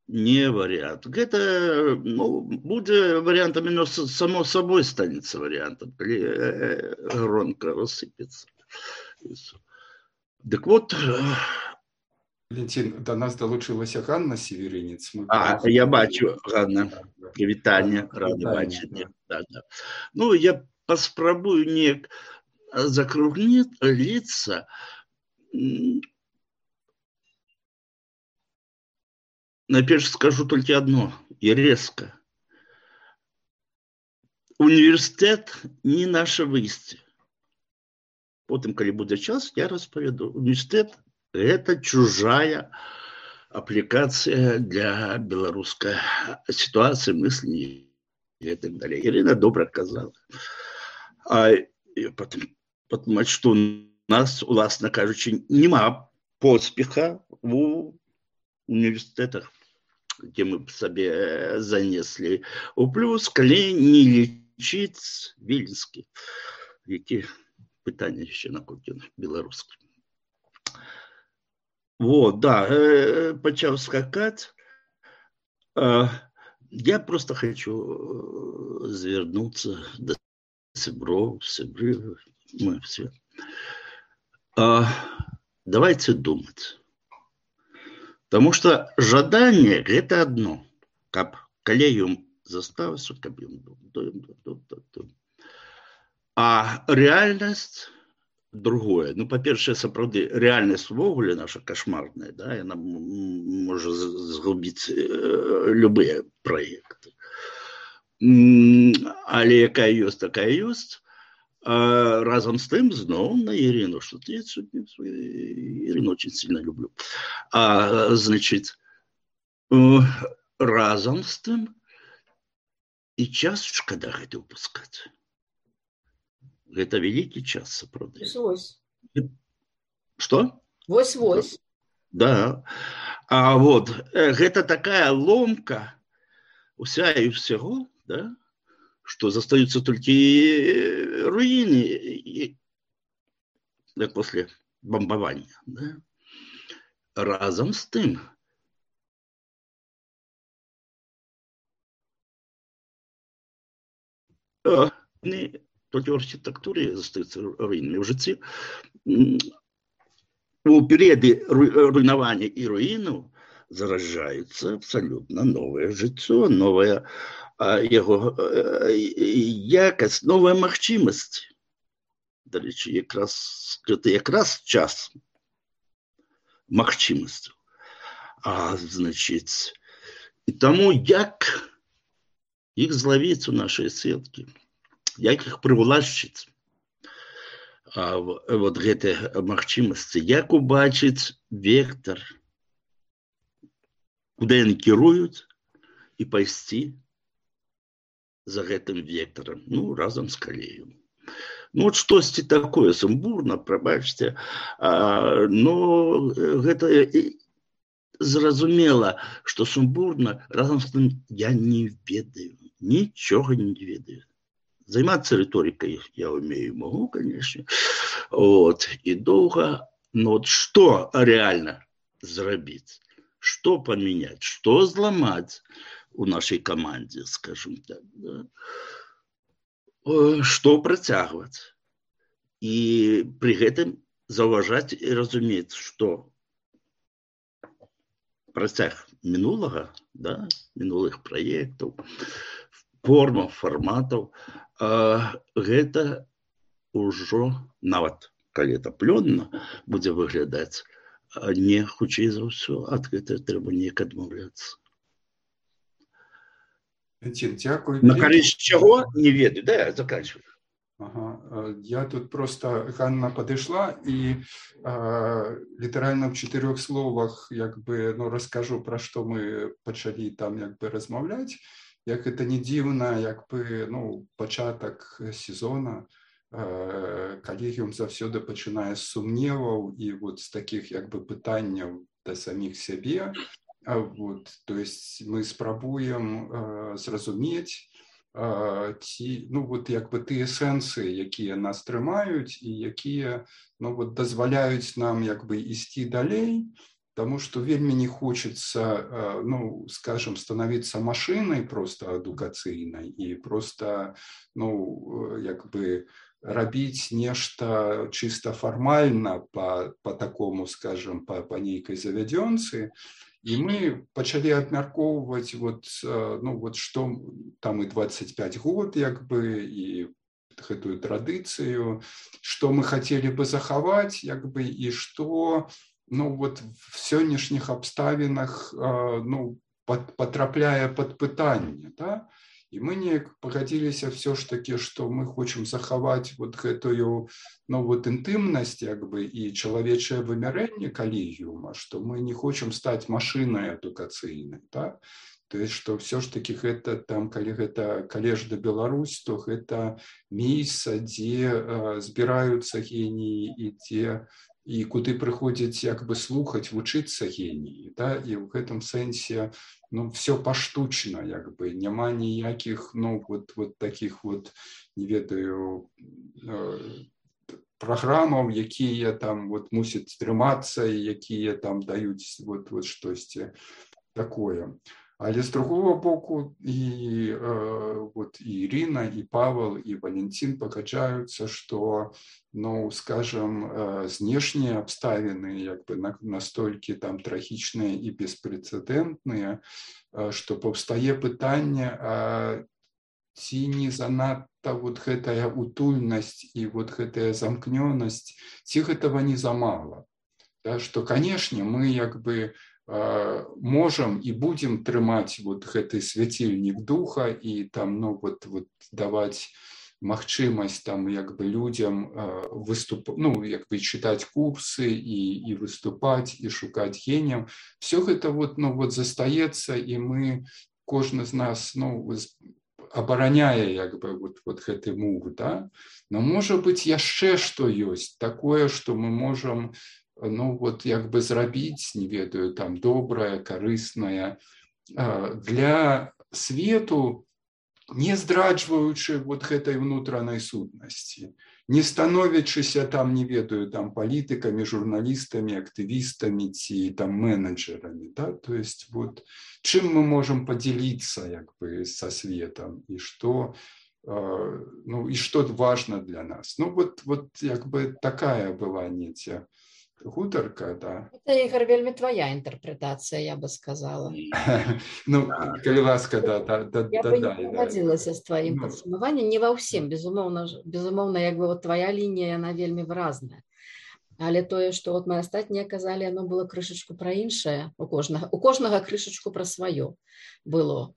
не вариант. Это, ну, будет вариантом, но само собой станет вариантом, когда гронка рассыпется. Так вот... Валентин, до нас долучилася Ганна Северинец. Мы а, будем... я бачу, Ганна. Привітання, радий бачити. Да, да. Ну, я поспробую не закруглиться. Наперед скажу только одно, и резко. Университет не наше выйсце. Потом, когда будет час, я расповеду. Университет – это чужая аппликация для белорусской ситуации, мыслей и так далее. Ирина добро сказала. А потом, потому что у нас, власне кажучи, нема поспеха в университетах, где мы себе занесли у плюс, коли не лечить Віленський, які питання ще на кухні білоруські. Вот, да, э, почав скакать. Э, я просто хочу звернуться до Сибров, Сибры, мы все. Э, давайте думать. Потому что жадание – это одно. Как коллегиум заставится, как им. А реальность другое. Ну, па-першае, сапраўды, рэальнасць увогуле наша кашмарная, да, яна можа згубіць любыя праекты. Але якая ёсць, такая ёсць. А разом с тем, знову на Ирину, что я Ирину очень сильно люблю. А, значит, разом с тем и час шкода гэта упускать. Это великий час, сапраўды. Вось. Что? Вось-вось. Да. А вот, это такая ломка уся и всего, да, что застаются только руины и, да, после бомбования. Да? Разом с тем не только в архитектуре застаются руинами, в житті у периоды руйнования и руину заражается абсолютно новое жыццё, новое его якасць, новая магчымасць. Дарэчы, якраз гэта якраз час магчымасцяў. А значыць, і таму як іх злавіць у нашай сеткі, як іх прыўлашчыць, а вот гэтыя магчымасці, як убачыць вектор, куды яны кіруюць, і пайсці за гэтым вектором, ну, разом с калеем. Ну, вот штосьці такое сумбурна, прабачце, а, но гэта зразумела, што сумбурна, разом з тым я не ведаю, нічога не ведаю. Займацца рыторыкай я умею, могу, конечно, вот, и доўга, но вот што реально зрабіць, што паменяць, што зламаць у нашей команде, скажем так, да? Что працягваць. И при гэтым заўважаць и разумець, что працяг мінулага, да, мінулых проектаў, формаў, фарматаў, гэта ўжо, нават калі это плённа будзе выглядаць, не хутчэй за ўсё, ад гэтага трэба неяк адмаўляцца. Дякую. На користь чего? Не ведаю. Да, я заканчиваю. Ага. Я тут просто, Ганна подошла и э, литерально в четырех словах як бы, ну, расскажу, про что мы почали там як бы размовлять. Як это не дивно, як бы, ну, початок сезона, э, коллегиум завсёды починае з сумневаў и вот с таких як бы пытанняў до самих себе. А вот, то есть мы спрабуем э, зразумець, э, ці, ну, вот, як бы тыя сэнсы, якія нас трымаюць і якія, ну, вот, дазваляюць нам як бы ісці далей, потому что вельмі не хочется, э, ну, скажем, становиться машиной просто адукацыйнай и просто, ну, як бы рабіць нешта чисто формально по, по такому, скажем, по, по нейкай завядёнцы. И мы почали обмяркоўваць, вот, ну, вот, что там и двадцать пять год, як бы, и гэтую традыцыю, что мы хотели бы захаваць, як бы, и что, ну, вот, в сённяшніх абставінах, ну, под, потрапляе под пытанне, да? И мы не погодились все ж таки, что мы хочем захаваць вот гэтую, ну, вот, интимность, як бы, и человечее вымярэнне коллегиума, что мы не хочем стать машиной адукацыйнай, да? То есть, что все ж таки это там, калі гэта Калежда Беларусь, то это место, где э, збираются гении и где и куды прыходзяць як бы слухаць, вучыцца геніі, да? И в этом сэнсе, ну, все поштучно, як бы, няма ніякіх, ну, вот, вот таких вот, не ведаю, э, программаў, якія там вот мусяць трымацца і якія там даюць вот, вот штосьці такое. Але з другого боку і, э, вот, і Ірина, і Павел, і Валентин пагаджаюцца, што, ну, скажем, э, знешнія абставіны як бы на, настолькі там трагічныя і беспрэцэдэнтныя, э, што паўстае пытанне, а ці не занадта вот гэтая утульнасць і вот гэтая замкнёнасць, ці гэтага не замала. Да, што, канешне, мы як бы э, можам і будзем трымаць вот гэты свяцільнік духа і там, ну, вот, вот даваць магчымасць там як бы людзям э, выступ, ну, як бы чытаць курсы і, і выступаць, і шукаць геніяў. Все гэта вот, ну, вот застаецца, і мы, кожны з нас, ну, абараняе як бы вот, вот гэты мур, да? Но можа быць яшчэ што ёсць такое, што мы можам, ну, вот як бы зрабіць, не ведаю, там добрае, карыснае для свету, не здраджваючы вот гэтай внутранай сутнасці, не становячыся там, не ведаю, там палітыкамі, журналістамі, актывістамі ці там менеджерамі, да? То есть вот чым мы можем поделиться як бы со светом и что, э, ну, и что важно для нас. Ну вот, вот як бы такая была нетя гутарка, да. Это, Игорь, вельмі твоя интерпретация, я бы сказала. Ну, калі ласка, да, да, да, я да, бы да, не погодзілася з твоим ну, падсумаваннем, не ва ўсім, безумоўна, безумоўна, як бы вот твоя лінія, она вельмі выразная. Але тое, што вот мы астатнія казалі, оно было крышачку пра іншае, у кожнага, у кожнага крышачку пра сваё было.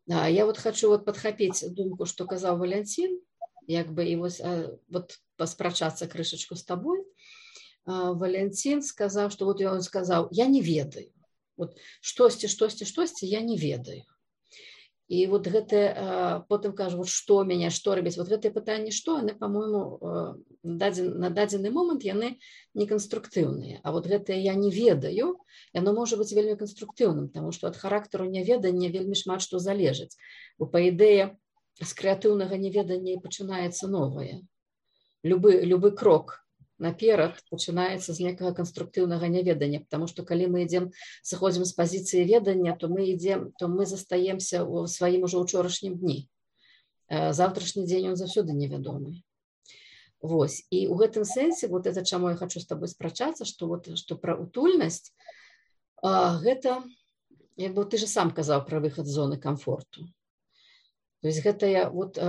А я вот хочу вот падхапіць думку, што казаў Валянцін, як бы і вось, вот паспрачацца крышачку з табой. Валянцін сказаў, што вот ён сказаў, я не ведаю. Вот штосьці, штосьці, штосьці, я не ведаю. І вот гэта, потым кажу, вот што мяне, што рабіць, вот гэтыя пытанні, што, яны, па-мойму, на дадзены момант яны не канструктыўныя. А вот гэтае я не ведаю, яно можа быць вельмі канструктыўным, таму што ад характару няведання вельмі шмат што залежыць. Бо, па ідэі, з крэатыўнага неведання і пачынаецца новае. Любы, любы крок наперад пачынаецца з некага канструктыўнага няведання, потому што калі мы ідзем, сыходзім з пазіцыі ведання, то мы ідзем, то мы застаемся ў сваім ужо ўчорашнім дні. Завтрашні дзень ён заўсёды невядомы. Вось. І ў гэтым сэнсе, вот это чаму я хочу з табой спрачацца, што вот што пра утульнасць, гэта, як бы ты же сам казаў пра выхад з зоны комфорту. То есть гэтая вот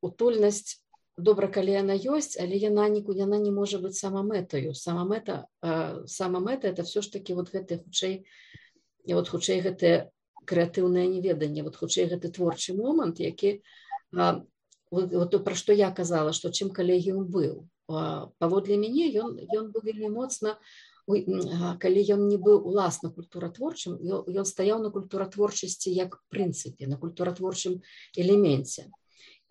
утульнасць, добра, калі яна ёсць, але яна нікуды, яна не можа быць самамэтаю. Самамэта, самамэта это все ж таки вот гэтае хутчэй, вот хутчэй гэтае крэатыўнае неведанне, вот хутчэй гэты творчы момант, які, вот, вот пра што я казала, што чым калегіум быў. Паводле мяне ён, ён быў вельмі моцна, калі ён не быў уласна культуратворчым, ён стаяў на культуратворчасці як прынцыпе, на культуратворчым элеменце.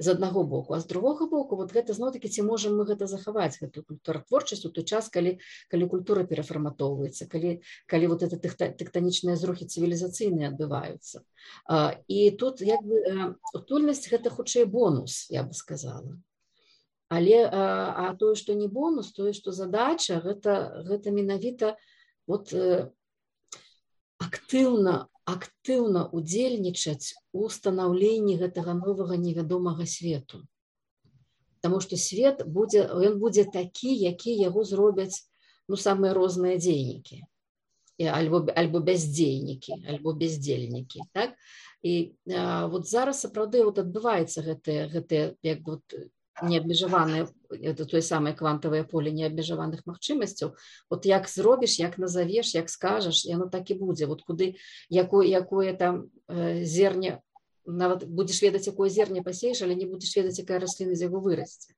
З аднаго боку, а з другога боку, вот гэта зноў-такі, ці можам мы гэта захаваць, гэтую культуратворчасць у той час, калі, калі культура перафарматоўваецца, калі, калі вот это тэктанічныя зрухі цывілізацыйныя адбываюцца. І тут як бы утульнасць гэта хутчэй бонус, я бы сказала. Але а, а тое, што не бонус, тое, што задача, гэта, гэта менавіта вот актыўна актыўна удзельнічаць у станаўленні гэтага новага невядомага свету. Таму што свет будзе, ён будзе такі, які яго зробяць, ну, самыя розныя дзейнікі. Альбо, альбо бяздзейнікі, альбо бяздзельнікі. Так? І а, вот зараз сапраўды вот адбываецца гэтае, гэтае як бы, вот, неабмежаванае, это тое самае квантавае поле неабмежаваных магчымасцяў. Вот як зробіш, як назавеш, як скажаш, яно так і будзе. Вот куды, якое, якое там э, зерне, нават будзеш ведаць, якое зерне пасееш, але не будзеш ведаць, якая расліна з яго вырасце.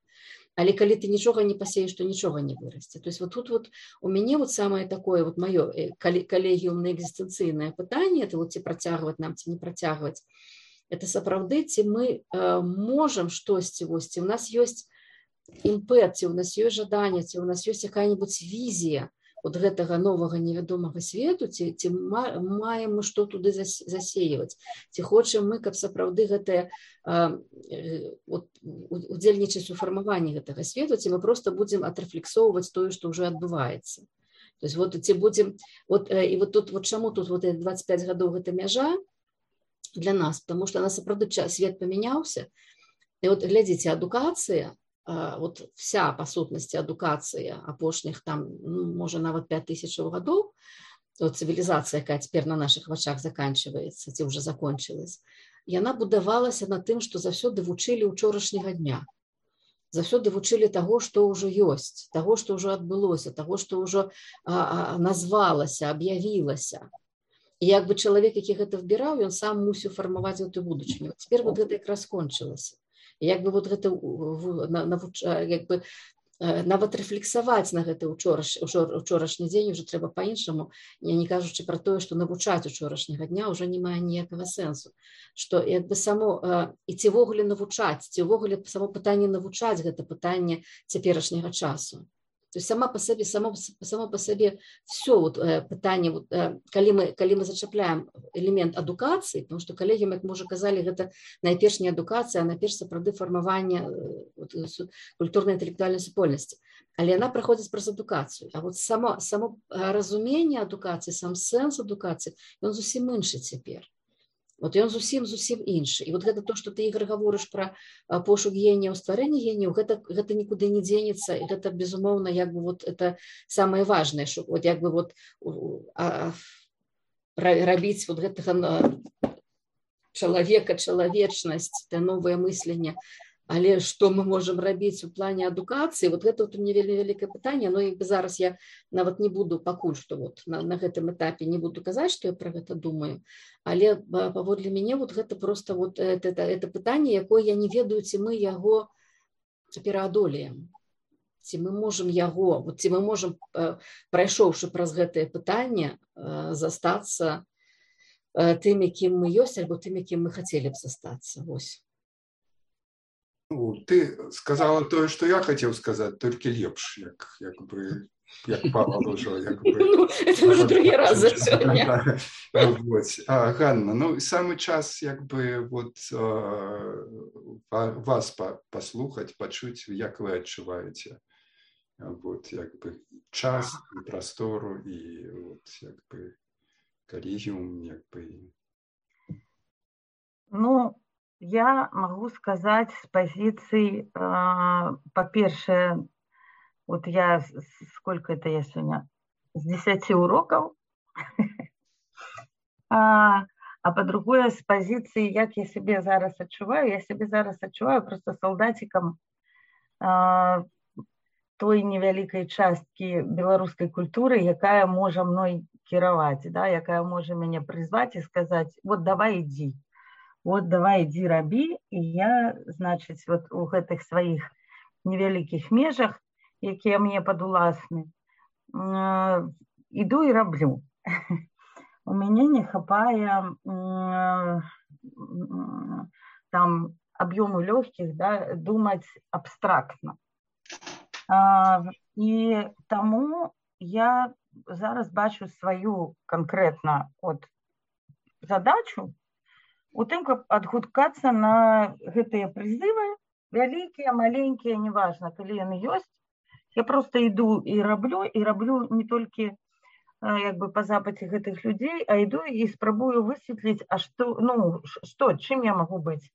Але калі ты нічога не пасееш, то нічога не вырасце. То есть вот тут вот у мяне вот самае такое вот маё калегіумна экзістэнцыйнае пытанне, это вот ці працягваць нам, ці не працягваць. Это сапраўды, ці мы э, можам штосьці, вось, ці у нас ёсць імпэт, ці у нас ёсць жаданне, ці у нас ёсць якая-небудзь візія от гэтага новага невядомага свету, ці, ці маем мы што туды засеяваць, ці хочам мы, каб сапраўды гэтае э, вот, удзельнічаць у фармаванні гэтага свету, ці мы проста будзем атрэфлексоўваць тое, што ўжо адбываецца. То есть вот ці будзем, вот, э, і вот тут, вот чаму тут вот двадцять пять гадоў гэта мяжа для нас, потому что, нас сапраўды свет памяняўся. І вот глядзіце, адукацыя, вот вся па сутнасці адукацыя апошніх там, ну, можа нават пять тысяч гадоў, вот цывілізацыя, якая цяпер на наших вачах заканчиваецца, ці уже закончилась, яна будавалася на тым, што заўсёды вучылі ўчорашняга дня. Заўсёды вучылі таго, што ўжо ёсць, таго, што ўжо адбылося, таго, што ўжо а, а, назвалася, аб'явілася. І як бы чалавек, які гэта выбіраў, ён сам мусіў фармаваць гэту будучыню. Цяпер вот гэта якраз скончылася. І як бы вот гэта навуч... як бы нават рэфлексаваць на гэты учораш... учорашні дзень уже трэба па-іншаму, я не кажучы пра тое, што навучаць учорашняга дня ўжо не мае ніякага сэнсу. Што як бы само і ці ўвогуле навучаць, ці ўвогуле само пытанне навучаць гэта пытанне цяперашняга часу. То есть сама по себе, само, само по себе все вот, э, пытание, вот, э, коли, мы, коли мы зачапляем элемент адукации, потому что коллеги, как мы уже казали, это найперш не адукация, а найперш сапраўды фармаванне э, вот, культурной интеллектуальной супольности. Але она проходит праз адукацию. А вот само, само разумение адукации, сам сенс адукации, он зусім іншы цяпер. Вот ён зусім зусім іншы. І вот гэта то, што ты, Ігор, гаворыш пра пошук генияў, стварэнне генияў, гэта, гэта нікуды не дзенецца, і гэта, безумоўна, як бы вот это самае важнае, што вот як бы вот а, рабіць вот гэтага чалавека, чалавечнасць, это новае мысленне. Але што мы можам рабіць у плане адукацыі, вот гэта вот у мяне вельмі вялікае пытанне, но як бы зараз я нават не буду пакуль што вот на, на гэтым этапе не буду казаць, што я пра гэта думаю, але паводле мяне вот гэта просто вот это, это, это пытанне, якое я не ведаю, ці мы яго пераадолеем, ці мы можам яго, вот ці мы можам, прайшоўшы праз гэтае пытанне, застацца тым, якім мы ёсць, альбо тым, якім мы хацелі б застацца. Вось. Ну, ты сказала тое, што я хацеў сказаць, толькі лепш, як, як бы, як Павел ўжо, як бы... Ну, это уже другі раз за сёння. А, Ганна, ну, самы час, як бы, вот, вас паслухаць, пачуць, як вы адчуваеце, вот, як бы, час і прастору, і, вот, як бы, калегіум, як бы... Ну, я могу сказать с позиции, э, по-перше, вот я, сколько это я сегодня, с десяти уроков, а, а по-другое, с позиции, як я себе зараз адчуваю, я себе зараз адчуваю просто солдатиком э, той невялікай часткі беларускай культуры, якая можа мной кіраваць, да, якая можа мяне прызваць і сказаць, вот давай ідзі. Вот давай иди раби, и я, значит, вот у гэтых своих невеликих межах, якія мне падуласны, э, иду и раблю. У меня не хапае э, там объему легких, да, думать абстрактно. Э, и тому я зараз бачу свою конкретно вот задачу, у тым, каб адгукацца на гэтыя прызывы, вялікія, маленькія, неважна, калі яны ёсць, я просто іду і раблю, і раблю не толькі як бы па запаце гэтых людзей, а іду і спрабую высветліць, а што, ну, што, чым я магу быць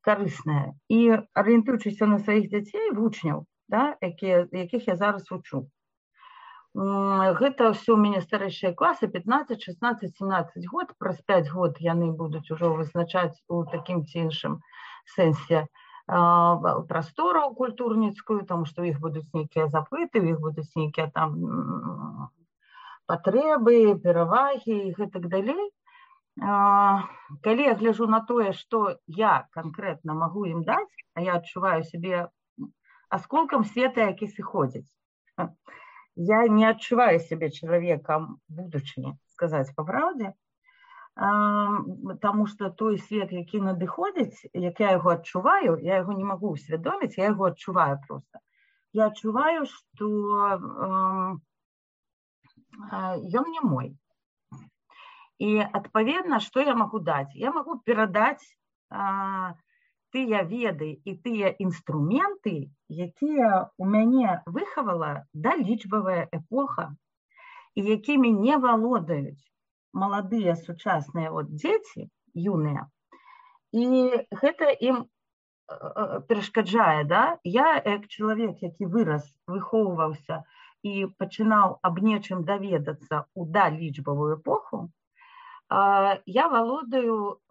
карысная. І арыентуючыся на сваіх дзяцей, вучняў, да, якія, якіх я зараз вучу. Гэта ўсё у мяне старэйшыя класы, пятнадцать, шестнадцать, семнадцать год, праз пять год яны будуць ужо вызначаць у такім ці іншым сэнсе прастору культурніцкую, тому што у іх будуць нейкія запыты, у іх будуць нейкія там патрэбы, перавагі і гэтак далей. Калі я гляжу на тое, што я канкрэтна магу ім даць, а я адчуваю сябе асколкам света, які сыходзіць. Я не адчуваю сябе чалавекам будучыні, сказаць па праўдзе, таму што той свет, які надыходзіць, як я яго адчуваю, я яго не магу усвядоміць, я яго адчуваю проста. Я адчуваю, што ён не мой. І, адпаведна, што я магу даць? Я магу перадаць тыя веды і тыя інструменты, якія у мяне выхавала далічбавая эпоха, і якімі не валодаюць маладыя сучасныя вот дзеці, юныя. І гэта ім перашкаджае, да? Я, як чалавек, які вырас, выхоўваўся і пачынаў аб нечым даведацца ў далічбавую эпоху, я валодаю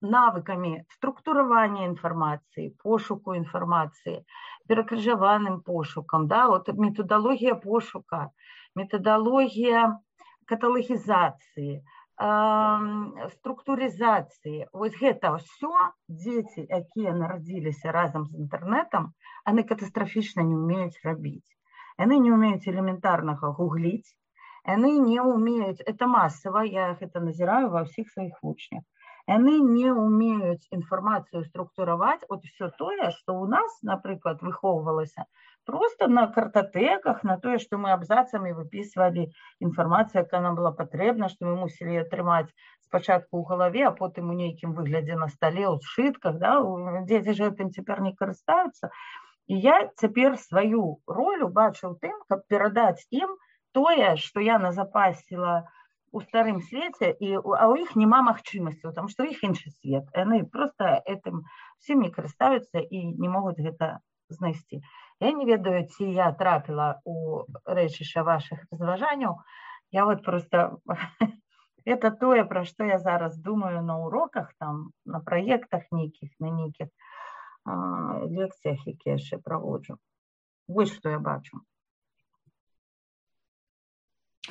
навыкамі структуравання інфармацыі, пошуку інфармацыі, перакрыжаваным пошукам, да, вот методалогія пошука, методалогія каталагізацыі, структурызацыі. Вось гэта ўсё дзеці, якія нарадзіліся разам з інтэрнэтам, яны катастрафічна не ўмеюць рабіць. Яны не ўмеюць элементарнага гугліць, яны не ўмеюць, это масава, я гэта назіраю ва ўсіх сваіх вучнях, яны не ўмеюць інфармацыю структураваць, от все тое, што ў нас, напрыклад, выхоўвалася просто на картатэках, на тое, што мы абзацамі выпісвалі інфармацыю, якая нам была патрэбна, што мы мусілі атрымаць спачатку ў галаве, а потым у нейкім выглядзе на стале, ў сшытках, да? Дзеці ж гэтым цяпер не карыстаюцца. І я цяпер сваю ролю бачу ў тым, каб перадаць ім тое, што я назапасіла у старым свеце, і, а ў іх няма магчымасцяў, тому што ў іх іншы свет. Яны проста гэтым всім не карыстаюцца і не могуць гэта знайсці. Я не ведаю, ці я трапіла у рэчышча вашых разважанняў. Я вот просто... Это тое, пра што я зараз думаю на уроках, там, на праектах нейкіх, на нейкіх а, лекцыях, якія яшчэ праводжу. Вось што я бачу.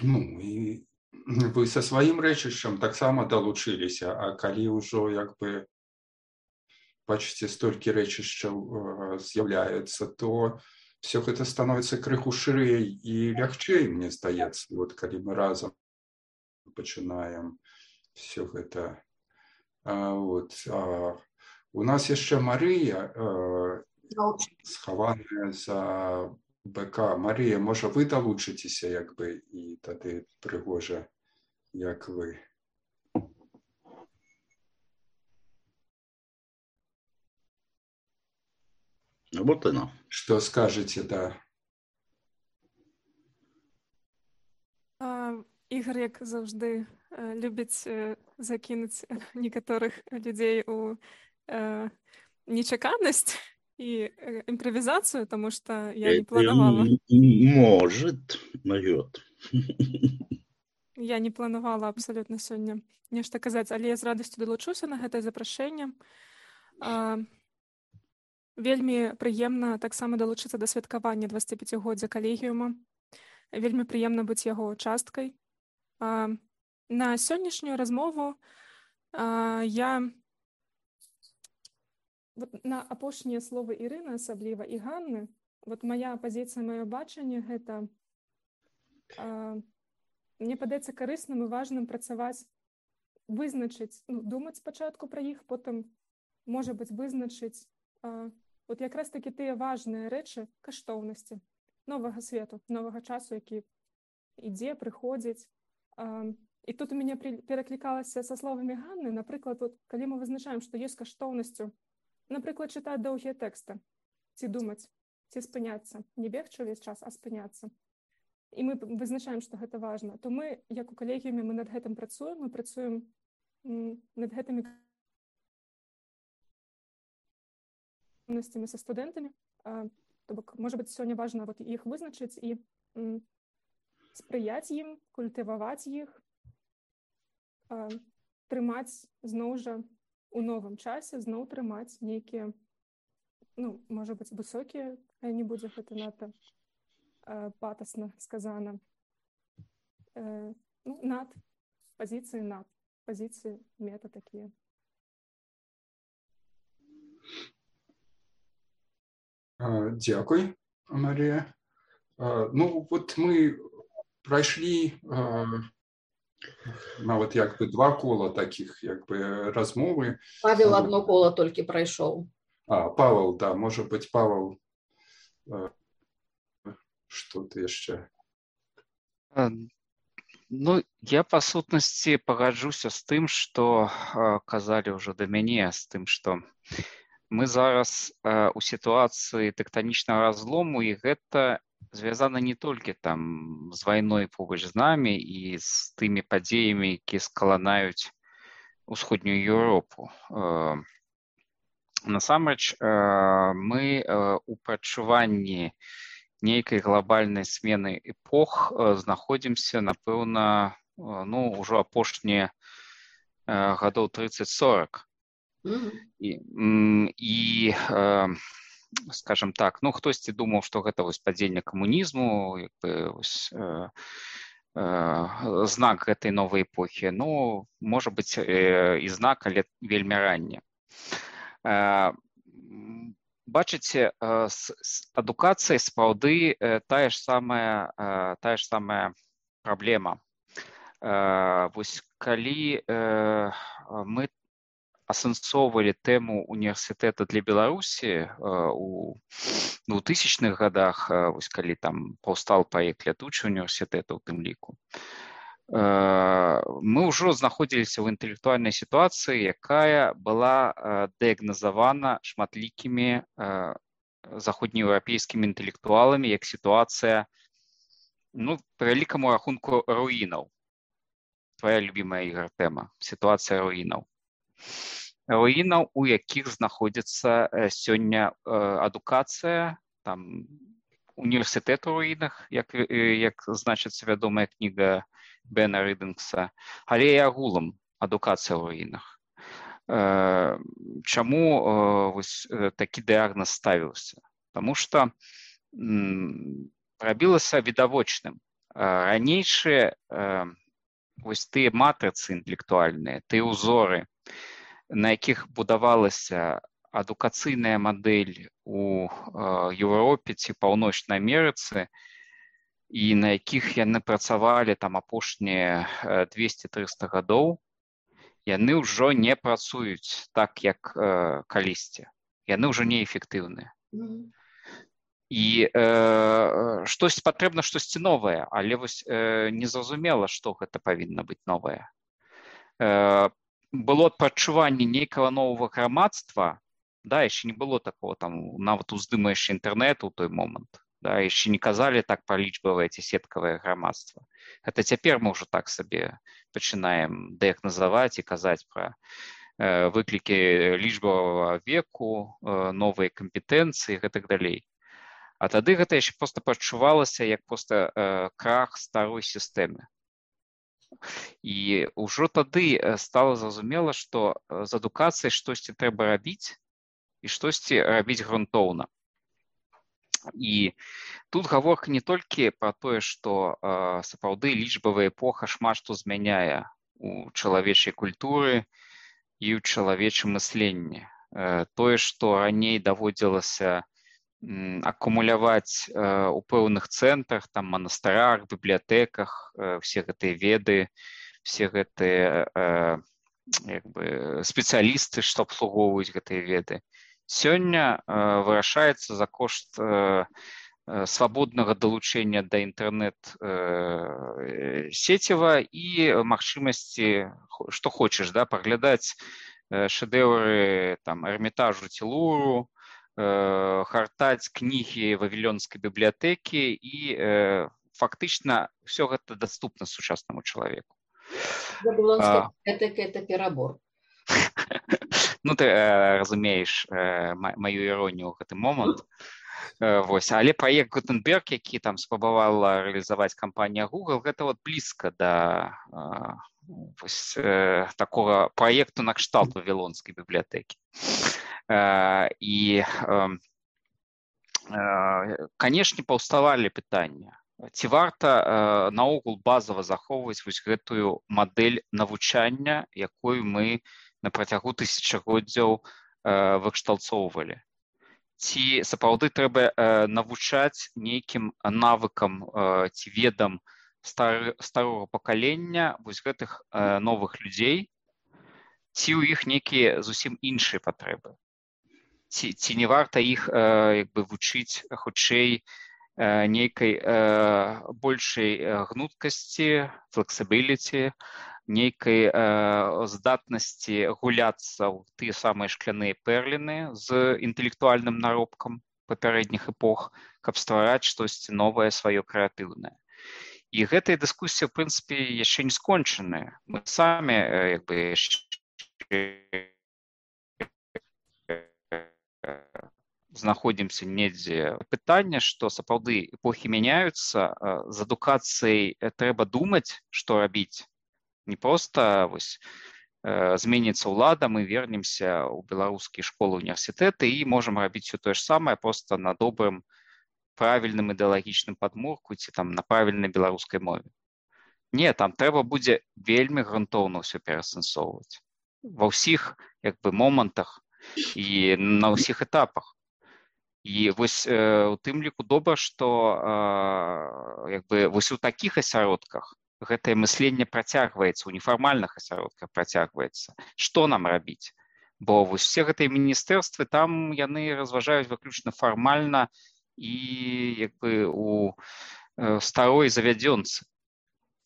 Ну, і вы са сваім рэчышчам таксама далучыліся, а калі ўжо, як бы, бачыце, столькі рэчышчаў з'яўляецца, то все гэта становіцца крыху шырэй і лягчэй, мне здаецца, вот калі мы разам пачынаем все гэта. А, вот, а, у нас яшчэ Марыя, а, схаваная за БК. Марія, можа, вы далучыцеся, як бы, і тады прыгожа, як вы. Вот оно. Что скажете, да? А, Ігор, як завжди, любіць закинуць некаторых людзей у э, нечаканасць і імправізацыю, тому што я не планавала. Может, могет. Я не планавала абсолютно сёння нешта казаць, але я з радасцю далучуся на гэтае запрашэнне. А, Вельмі прыемна таксама далучыцца да святкавання дваццаціпяцігоддзя калегіума. Вельмі прыемна быць яго часткай. А, на сённяшнюю размову а, я вот на апошнія словы Ірыны асабліва і Ганны, вот моя пазіцыя, маё бачанне гэта а, мне падаецца карысным і важным працаваць, вызначыць, ну, думаць спачатку пра іх, потым, можа быць, вызначыць а, вот якраз такі тыя важныя рэчы, каштоўнасці новага свету, новага часу, які ідзе, прыходзіць. А, і тут у мяне пераклікалася са словамі Ганны, напрыклад, вот, калі мы вызначаем, што ёсць каштоўнасцю, напрыклад, чытаць доўгія тэксты, ці думаць, ці спыняцца, не бегчы ўвесь час, а спыняцца. І мы вызначаем, што гэта важна, то мы, як у калегіуме, мы над гэтым працуем, мы працуем над гэтымі со студэнтамі. То бок, можа быць, сёння важна вот іх вызначыць і м, спрыяць ім, культываваць іх, а, трымаць зноў жа у новым часе, зноў трымаць нейкія, ну, можа быць, высокія, а не будзе гэта надта а, патасна сказана. Э, ну, над, пазіцыі над, пазіцыі мета такія. Дякую, Марія. Ну, от ми пройшли навіть якби два кола таких якби розмови. Павел одно коло тільки пройшов. А, Павел, да, може бути, Павел, що ти ще? Ну, я па сутнасці пагаджуся з тым, што казалі ўжо да мяне, з тым, што мы зараз э, у сітуацыі тэктанічнага разлому, і гэта звязана не толькі там з вайной побач з намі і з тымі падзеямі, якія скаланаюць усходнюю Еўропу. Э, насамрэч, э, мы э, у прачуванні нейкай глобальнай смены эпох э, знаходзімся, напэўна, э, ну, ўжо апошнія э, гадоў трыццаць сорак. Mm-hmm. І, і э, скажем так, ну, хтосьці думаў, што гэта вось падзенне камунізму, як бы, вось, э, э, знак гэтай новай эпохі. Ну, можа быць, э, і знак, але вельмі ранне. Э, бачыце, э, з, з адукацыяй сапраўды э, тая ж самая, э, тая ж самая праблема. Э, вось калі э, мы асэнсоўвалі тэму універсітэта для Беларусі у двухтысячных годах, вось калі там паўстаў праект лятучы універсітэта ў тым ліку, мы ўжо знаходзіліся ў інтэлектуальнай сітуацыі, якая была дыягназавана шматлікімі заходнееўрапейскімі інтэлектуаламі як сітуацыя, ну, па вялікаму рахунку, руінаў. Твоя любімая, Ігор, тэма – сітуацыя руінаў. Руінаў, у якіх знаходзіцца сёння адукацыя, там універсітэт у руінах, як, як значыцца вядомая кніга Бена Рыдынгса, але і агулам адукацыя ў руінах. Чаму вось такі дыягназ ставіўся? Таму што рабілася відавочным. Ранейшыя вось тыя матрыцы інтэлектуальныя, тыя ўзоры, на якіх будавалася адукацыйная мадэль у Еўропе ці Паўночнай Амерыцы, і на якіх яны працавалі там апошнія двесце-трыста гадоў, яны ўжо не працуюць так, як калісьці. Яны ўжо неэфектыўныя. Mm-hmm. І э, штось патрэбна, штосьці новае, але вось э, незразумела, што гэта павінна быць новае. Э, было адпачуванне нейкага новага грамадства, да, яшчэ не было такого, там, нават уздыма яшчэ інтэрнэту ў той момант, да, яшчэ не казалі так пра лічбавае ці сеткавае грамадства. Гэта цяпер мы ўжо так сабе пачынаем дыягназаваць і казаць пра э, выклікі лічбавага веку, э, новыя кампетэнцыі і гэтак далей. А тады гэта яшчэ проста пачувалася як проста э, крах старой сістэмы. І ўжо тады стала зразумела, што з адукацыяй штосьці трэба рабіць і штосьці рабіць грунтоўна. І тут гаворка не толькі пра тое, што э, сапраўды лічбавая эпоха шмат што змяняе у чалавечай культуры і ў чалавечым мысленні. Э, тое, што раней даводзілася акумуляваць э, у пэўных цэнтрах, там, манастырах, бібліятэках, э, все гэтыя веды, все гэтыя э, як бы, спецыялісты, што абслугоўваюць гэтыя веды. Сёння э, вырашаецца за кошт э, свабоднага далучэння да інтэрнэт э, сеціва і магчымасці, што хочаш, да, паглядаць э, шэдэўры там, Эрмітажу ці Луру, гартаць кнігі вавілёнскай бібліятэкі і э, фактычна ўсё гэта даступна сучаснаму чалавеку. Вавілонская бібліятэка – это перабор. Ну, ты э, разумееш э, маю іронію ў гэты момант. Э, вось. Але праект Гутенберг, які там спрабавала рэалізаваць кампанія Google, гэта вот блізка да э, вось, э, такога праекту накшталт вавілонскай бібліятэкі. І, канешне, паўставалі пытання, ці варта наогул базава захоўваць вось гэтую мадэль навучання, якую мы на працягу тысячагоддзяў выкшталцоўвалі. Ці сапраўды трэба навучаць нейкім навыкам ці ведам старого пакалення вось гэтых новых людзей, ці ў іх нейкія зусім іншыя патрэбы. Ці, ці не варта іх э, як бы вучыць хутчэй э, нейкай э, большай гнуткасці, флексібіліці, нейкай э, здатнасці гуляцца ў тыя самыя шкляныя пэрліны з інтэлектуальным наробкам папярэдніх эпох, каб ствараць штосьці новае сваё крэатыўнае. І гэтая дыскусія, в прынцыпе, яшчэ не скончаная. Мы самі э, як бы яшчэ знаходзімся недзе. Пытанне, што сапраўды эпохі мяняюцца, з адукацыяй трэба думаць, што рабіць. Не проста вось, зменіцца ўлада, мы вернемся ў беларускія школы, універсітэты і можам рабіць все тое ж самае просто на добрым, правільным ідэалагічным падмурку ці там на правільнай беларускай мове. Не, там трэба будзе вельмі грунтоўна ўсё пераасэнсоўваць ва ўсіх як бы момантах і на ўсіх этапах. І вось э, у тым ліку добра, што э, як бы вось у такіх асяродках гэтае мысленне працягваецца, у нефармальных асяродках працягваецца. Што нам рабіць? Бо вось усе гэтыя міністэрствы, там яны разважаюць выключна фармальна і як бы у э, старой завядзёнцы.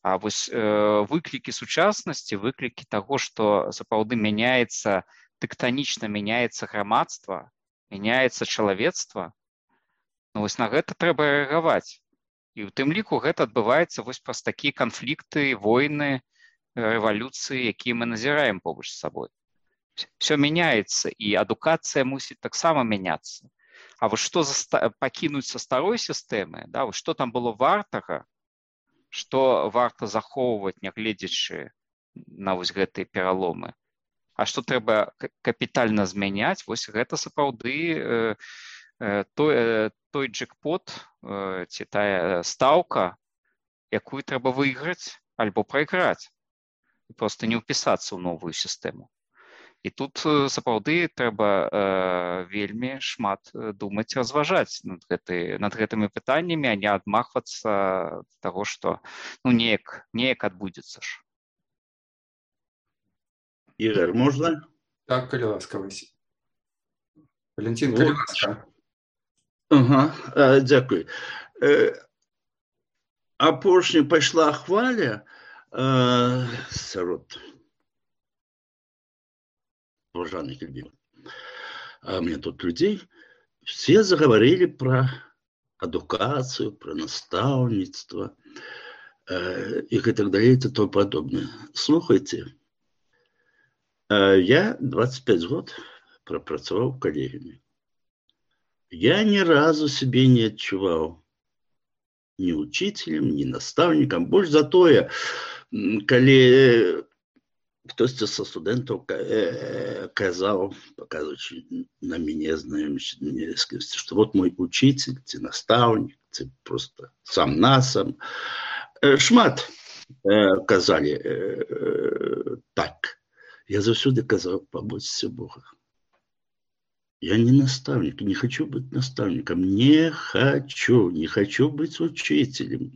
А вось э, выклікі сучаснасці, выклікі таго, што сапраўды мяняецца, тэктанічна мяняецца грамадства, мяняецца чалавецтва, ну вось на гэта трэба рэагаваць. І ў тым ліку гэта адбываецца вось праз такія канфлікты, войны, рэвалюцыі, якія мы назіраем побач з сабой. Все мяняецца, і адукацыя мусіць таксама мяняцца. А вось што за пакінуць са старой сістэмы, да, вось што там было вартага, што варта захоўваць, нягледзячы на вось гэтыя пераломы, а што трэба капітальна змяняць, вось гэта сапраўды э, э, той, э, той джекпот э, ці тая стаўка, якую трэба выйграць альбо прайграць, і проста не ўпісацца ў новую сістэму. І тут сапраўды трэба э, вельмі шмат думаць, разважаць над, гэты, над гэтымі пытаннямі, а не адмахвацца ад таго, што ну, неяк, неяк адбудзецца ж. Ігор, можна? Так, калі ласка, Васіль. Валентин, калі ласка. Ага, а, дзякуй. Э, апошняя пайшла хваля э, сярод уважаемых людей. А мне тут людей, все заговорили про адукацию, про наставничество э, и так далее, и тому подобное. Слухайте, э, я двадцать пять год пропрацаваў в коллегиуме. Я ни разу себе не отчувал ни учителем, ни наставником. Больше за тое, коли хтось со студентов казал, показываючи на меня, знающий, что вот мой учитель, ты наставник, ты просто сам на сам. Шмат казали так. Я завсюди казал, побойтесь Бога. Я не наставник, не хочу быть наставником, не хочу, не хочу быть учителем.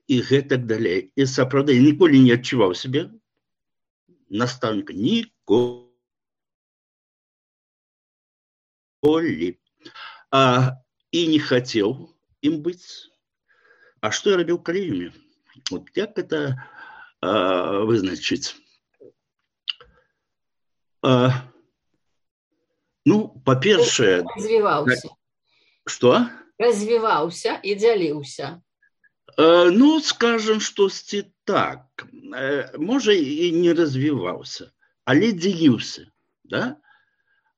И так далее. И сапраўды, я ніколі не адчуваў себе наставника, ніколі. А, и не хотел им быть. А что я робил в коллегиуме? Вот как это а, вызначить? А, ну, по-перше... Развивался. Что? Развивался и делился. Ну, скажем, что так, може и не развивался, але делился, да?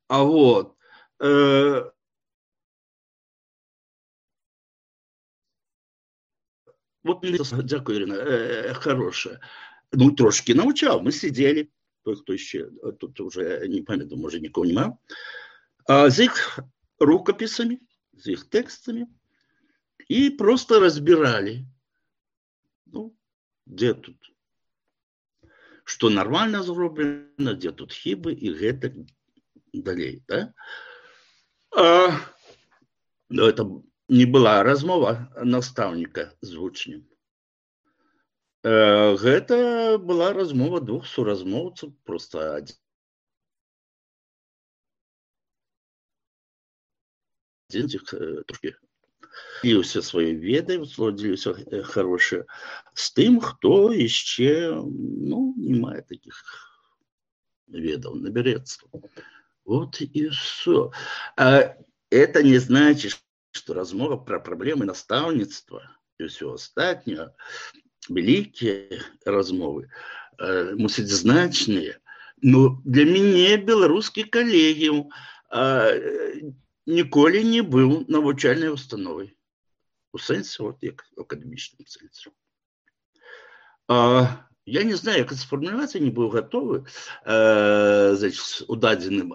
А вот, э, вот, дякую, Ирина, э, хорошая, ну, трошки научал, мы сидели, кто еще, тут уже, не памятаю, может, никого нема, а, с их рукописями, с их текстами, и просто разбирали, ну, где тут, что нормально зроблено, где тут хибы и гэтак далей, да? А, но это не была размова наставника з вучнем. А, гэта была размова двух суразмоўцаў, просто один. Один з іх трошки дзеліўся сваёй ведай, дзеліўся хорошее з тым, хто яшчэ, ну, не мае таких ведаў, наберется. Вот и все. А это не значит, что размова про проблемы наставництва и все остальное, великие размовы, э, мусить значные. Но для меня белорусский коллегиум э, ніколі не быў навучальнай установай. У сэнсе, вот, як акадэмічным сэнсе. А, Я не знаю, як сфармуляваць, я не быў гатовы э, значит, у дадзеным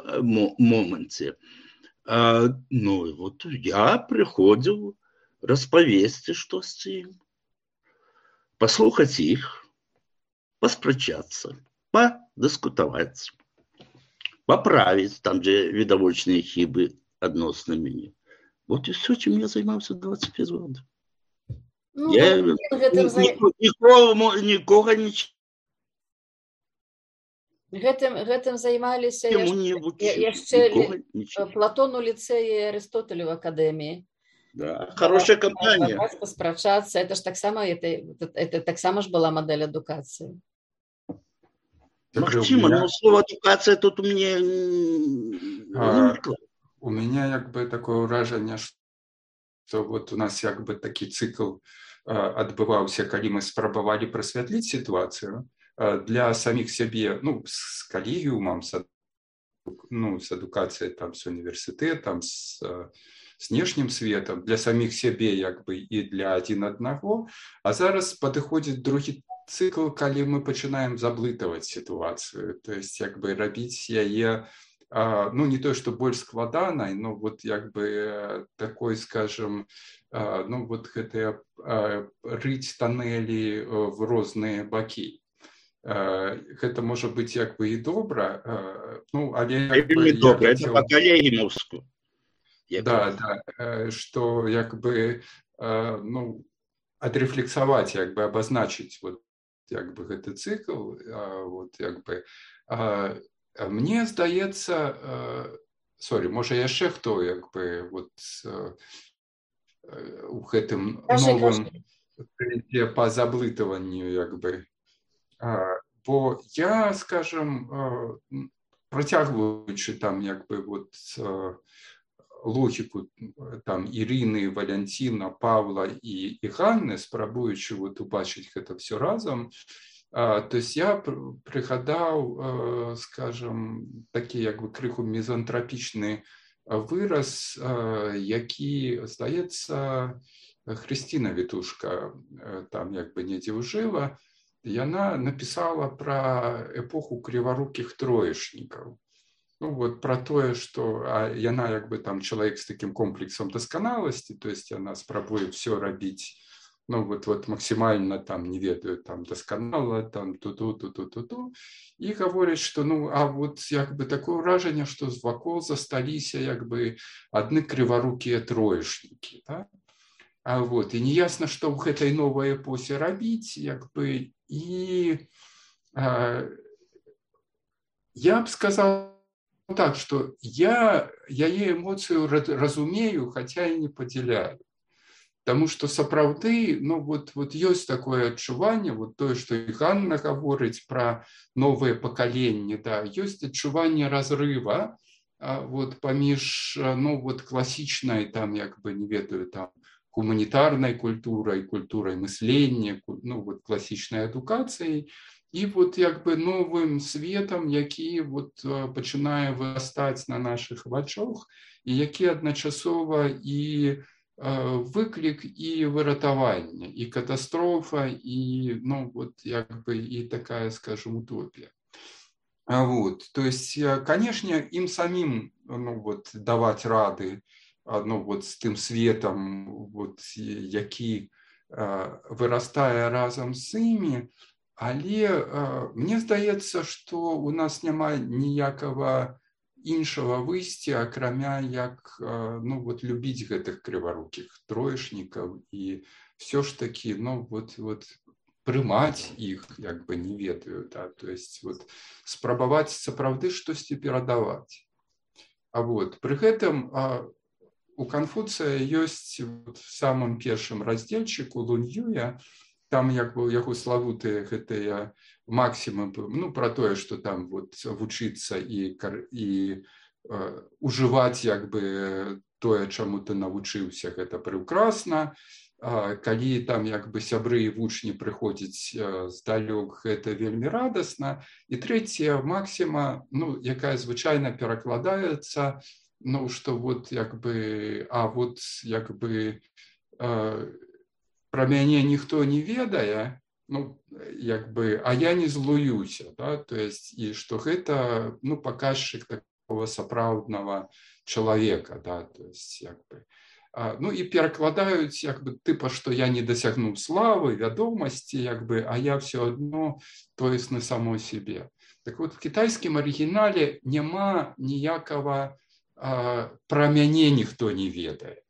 моманце. Э, ну, вот я прыходзіў распавесці штосьці, паслухаць іх, паспрачацца, падыскутаваць, паправіць там, дзе відавочныя хібы адносна мяне. Вот і все, чым я займаўся двадцять пять год. Ну, я ну, гэтым, ні, нікога, нікога не гэтым, гэтым займаліся яшчэ Платон у ліцэі, Арыстотель у акадэміі. Да, хорошая кампанія. Паспрачацца, это ж таксама это, это, это таксама ж была модель адукацыі. Магчыма, но слово адукацыя тут у мяне а, у меня як бы такое ўражанне, што вот у нас як бы такі цыкл адбываўся, калі мы спрабавалі прасвятліць сітуацыю для саміх сябе, ну, з калегіумам, з, ну, з адукацыяй, там, з універсітэтам, з знешнім светам, для саміх сябе як бы і для адзін аднаго, а зараз падыходзіць другі цикл, калі мы пачынаем заблытаваць сітуацыю, то есть як бы рабіць яе, ну не то, что больш складанай, но вот як бы такой, скажем, ну вот гэтыя рыць тоннелі в розныя бакі. Гэта можа быць як бы і добра, ну але добра, это па-калегінаўску. Да, да, что як бы, ну, отрефлексовать, як бы обозначить вот як бы гэты цикл, вот як бы мне здаецца, сорі, можа яшчэ хто як бы вот у гэтым новым по заблытыванню як бы, бо я, скажем, працягваючы там як бы вот логіку там Ірыны, Валянціна, Павла і, і Ганны, спрабуючы вот убачыць гэта все разом, а, то есть я прыгадаў, а, скажем, такі як бы крыху мезантрапічны выраз, а, які, здаецца, Хрысціна Вітушка там як бы недзе ўжыла, яна напісала пра эпоху крыварукіх троечнікаў. Ну вот про тое, что а, яна як бы там чалавек з таким комплексом дасканаласці, то есть яна спрабуе все рабіць, ну вот, вот максимально там, не ведаю, там дасканала, там ту-ту, ту-ту, ту-ту, і гаворыць, что ну, а вот як бы такое ўражанне, что вакол засталіся як бы адны крыварукія троечнікі, да? А вот, і неясна, што ў гэтай новай эпосе рабіць, як бы, і а, я б сказал так, что я яе эмоцыю разумею, хотя и не падзяляю. Потому что сапраўды, ну вот, вот ёсць такое адчуванне, вот тое, што і Ганна гаворыць пра новае пакаленне, да, ёсць адчуванне разрыва вот, паміж, ну вот, класічнай, там, як бы, не ведаю, там, гуманітарнай культурай, культурай мыслення, ну вот, класічнай адукацыяй, і вот як бы новым светом, які вот пачынае вырастаць на наших вачах, і які адначасова і выклік, і выратаванне, і катастрофа, і ну вот як бы і такая, скажем, утопія. Вот, то есть, конечно, им самим, ну вот, давать рады, ну вот с тым светом, вот, які вырастае разом з імі. Але э, мне здаецца, што у нас няма ніякага іншага выйсця, акрамя як э, ну, вот, любіць гэтых крыварукіх троечнікаў і все ж таки ну, вот, вот, прымаць іх, як бы не ведаю, да? То есть вот, спрабаваць сапраўды штосьці перадаваць. А вот, пры гэтым э, у Канфуцыя ёсць вот, в самым першым раздзельчыку Лунь-Юя, там як бы яго славутыя гэтыя максімы, ну, про тое, што там вот вучыцца і, і э, ужываць як бы тое, чаму ты навучыўся, гэта прыўкрасна. А, калі там як бы сябры і вучні прыходзяць э, здалёк, гэта вельмі радасна. І трэцяя максіма, ну, якая звычайна перакладаецца, ну, што вот як бы, а вот як бы э, про мяне ніхто не ведае, ну, як бы, а я не злуюся, да, то есть, і што гэта, ну, паказчык такого сапраўднага чалавека, да, то есть, як бы, а, ну, і перакладаюць, як бы, тыпа, што я не дасягнуў славы, вядомасці, як бы, а я все одно тоесны само себе. Так вот, в китайскім арыгінале няма ніякага а, пра мяне ніхто не ведае.